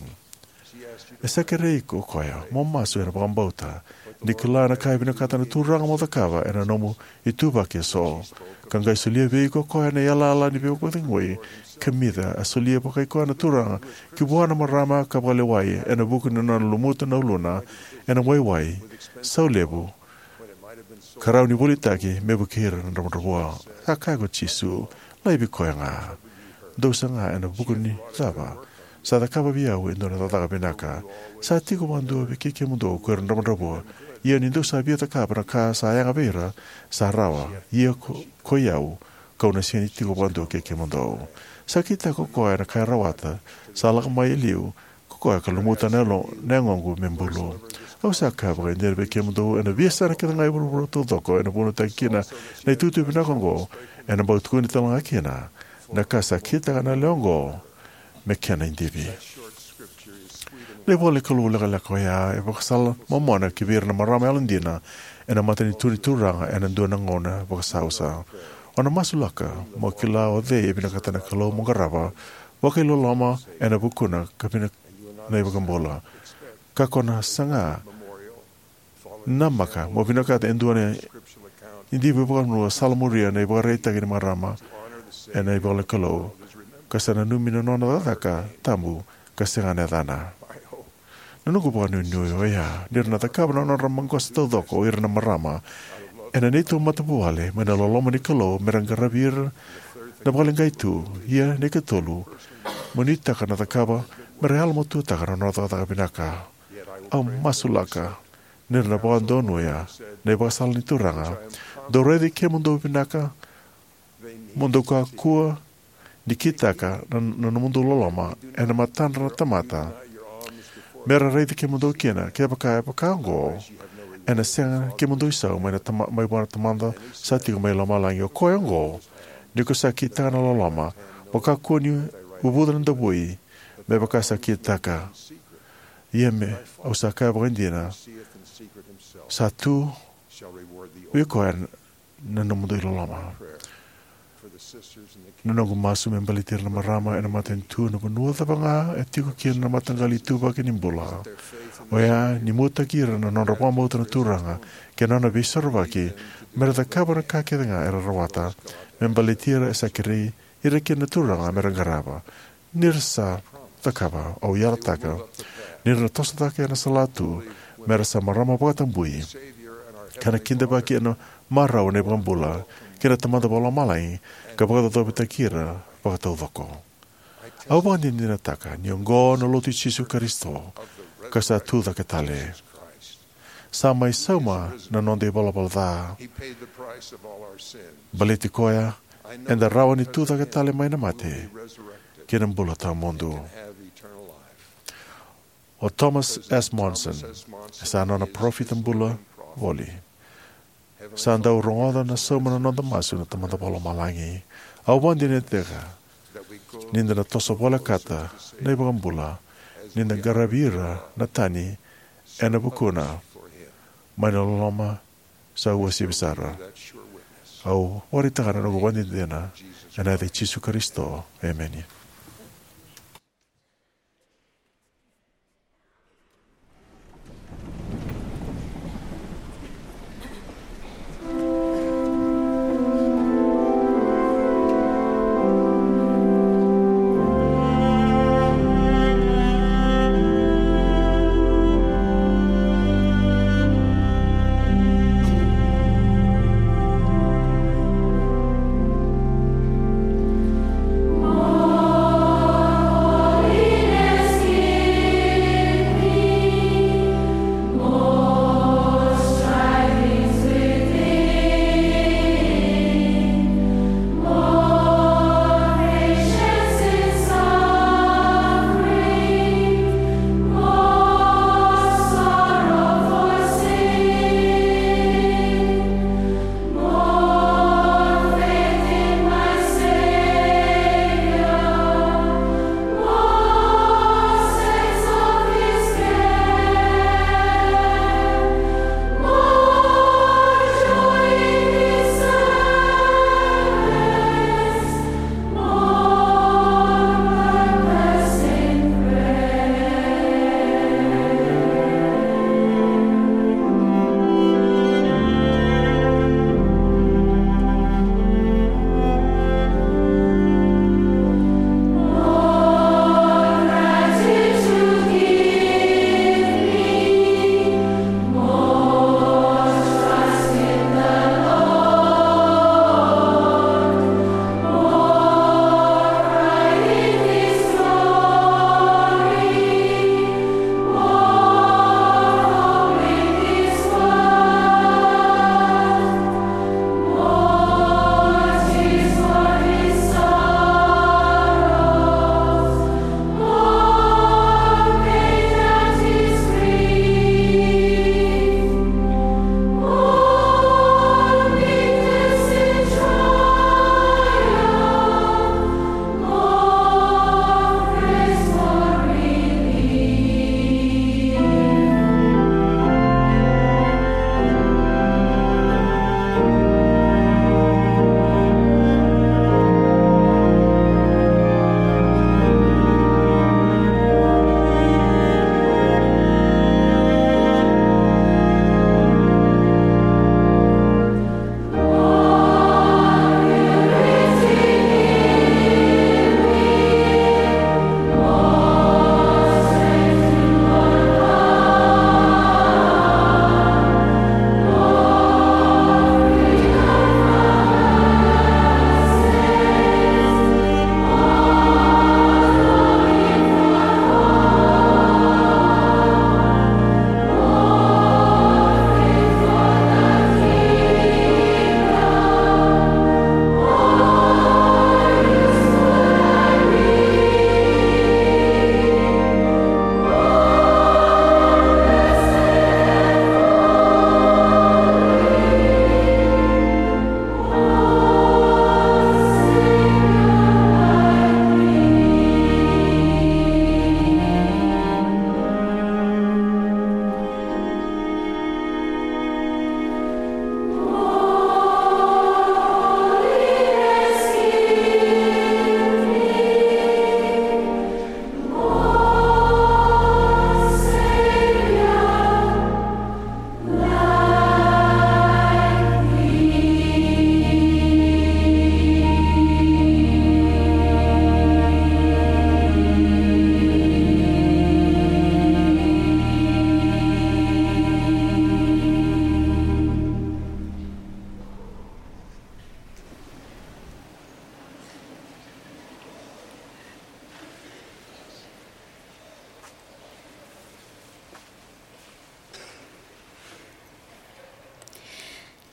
E sa kerei iko o koya mo masu ena vakabauta, ni kila na ka e vinakata na Turaga mo cakava ena nomu ituvaki eso, ka qai solia vei iko o koya na yalayala ni veivakacegui kamica a solia vakai koya na Turaga ki vua na marama ka vakalewai ena vuku ni nona lumuta na uluna ena waiwai sau levu, ka rawa ni volitaki me vukei ira na dravudravua. Sa kaya ko Jisu, laivi koya ga. Dou saga ena vuku ni cava? Sa cakava vei au e dua na cakacaka vinaka. Sa tiko vakadua vei kei kemudou ko ira na dravudravua. Ia ni dou sa via cakava na ka sa yaga vei ira, sa rawa. Ia ko, ko i au, kau na sega ni tiko vakadua kei kemudou. Sa kitaka ko koya na ka e rawata, sa lako mai e liu, ko koya ka lumuta na yalo, na yagoqu me bulu. Au sa kaya vakaidina vei kemudou, ena veiyasana kece ga e vuravura taucoko, ena vunautaki kina na itukutuku vinaka oqo, ena bau tukuni tale ga kina, na ka sa kitaka na lewe oqo, me kena idivi. Na ivola ni Kalou lekaleka oya, e vakasala momona ki vei ira na marama yalodina, ena matanitu ni Turaga, ena dua na gauna vakasausa. O na masulaka, mo kila o cei e vinakata na Kalou mo qarava, vakailoloma, ena vukuna, ka vina na iVakabula. Ka ko na saga, namaka, mo vinakata e dua na idivi vakavanua, sala muria na ivakaraitaki ni marama, ena ivola ni Kalou. Ka sa nanumi na nona cakacaka, tabu, ka sega na yacana. Na noqu vakanuinui oya, ni ra na cakava na nodra maqosa taucoko o ira na marama, ena neitou matavuvale, mai na loloma ni Kalou, me ra qaravi ira, na vakaleqai tu, ia na ikatolu, mo nuitaka na cakava, me ra yalomatuataka na nodra cakacaka vinaka. Au masulaka, ni ra na vakadonuya, na ivakasala ni Turaga, dou raici kemudou vinaka, mo dou kakua, ni kitaka, na, na nomudou loloma, ena matadra na tamata, me ra raici kemudou kina, kevaka, e vaka oqo, ena sega kemudou isau, mai na tama-, mai vua na Tamada, sa tiko mai lomalagi o koya oqo, ni ko sa kitaka na loloma, mo kakua ni uvuca na davui, me vaka sa kitaka. Ia me, au sa kaya vakaidina, sa tu, vei koya na nomudou iloloma. Na noqu masu me baleti ira na marama, ena matanitu na vanua cava ga, e tiko kina na mataqali ituvaki ni bula. Oya, ni muataki ira na nodra vakabauta na Turaga, kei na nona veisorovaki, me ra cakava na ka kece ga era rawata, me baleti ira e sa kerei, ira kina na Turaga me ra qarava. Ni ra sa cakava, au yalataka. Ni ra na toso cake ena salatu, me ra sa marama vakatabui. Ka na kidavaki ena marau na iVakabula, kei na Tamada Vakalomalagi, ka vakacaucautaki ira vakataucoko. Au vakadinadinataka, ni oqo na lotu i Jisu Karisito, ka sa tu cake tale. Sa mai sauma na noda ivalavala ca. Baleti koya, eda rawa ni tu cake tale mai na mate, kei na bula tawamudu. O Thomas S. Monson, e sa nona parofita bula voli. Sa dau rogoca na sauma na noda masu na Tamada Vakalomalagi. Au vakadinadinataka, ni da na toso volekata na iVakabula, ni da qaravi ira na tani ena vukuna, mai na loloma sa uasivi sara. Au vakaraitaka na noqu vakadinadina, ena yaca i Jisu Karisito. Emeni.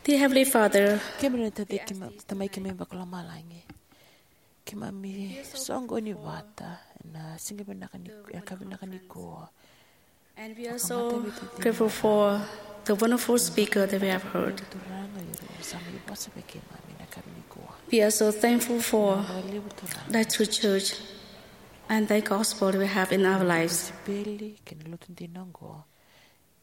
Dear Heavenly Father, kemuni na Tacikei, Tamai keimami vakalomalagi, keimami soqoni vata ena siga vinaka ni, ena ka vinaka nikua. And we are so grateful for the wonderful speaker that we have heard. Turaga, ira era sa mai vosa vei keimami ena ka nikua. We are so thankful for that true church and that gospel we have in our lives. Kosipeli kei na lotu dina oqo,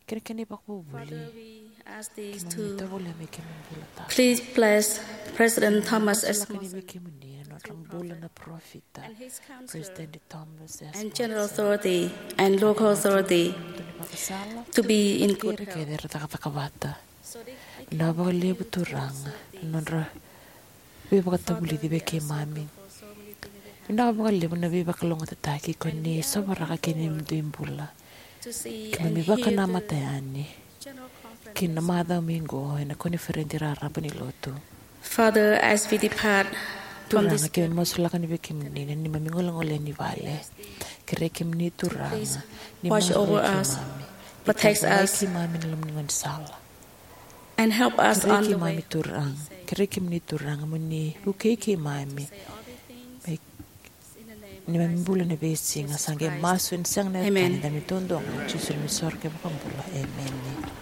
kei na kena ivakavuvuli. Father, we ask these two. Keimami tovolea me keimami bula tale. Please bless President Thomas S. Monson, vei kemuni na nodra bula na parofita, and his counselor, President Thomas S. and General Monson, Authority and Local Authority, to be in good health. Kei ira kece era cakacaka vata. Vinaka vakalevu Turaga na nodra veivakatavulici vei keimami. Vinaka vakalevu na veivakalougatataki ko ni sovaraka kina i dui bula. Keimami vakanamata yani ki na macawa mai qo ena koniferedi raraba ni lotu. Father, as we depart from this, Turaga, keimami masulaka ni vei kemuni na neimami golegole ni vale. Kerei kemuni Turaga ni watch over us, protect us, keimami na loma ni gaunisala. And help us on the way. Kerei keimami Turaga, kerei kemuni Turaga mo ni vukei keimami. Ni mami bula na veisiga, sa qai masu ena sega na yacana, da mai taudua ga, Jisu na neimami iSoro kei iVakabula. Emeni.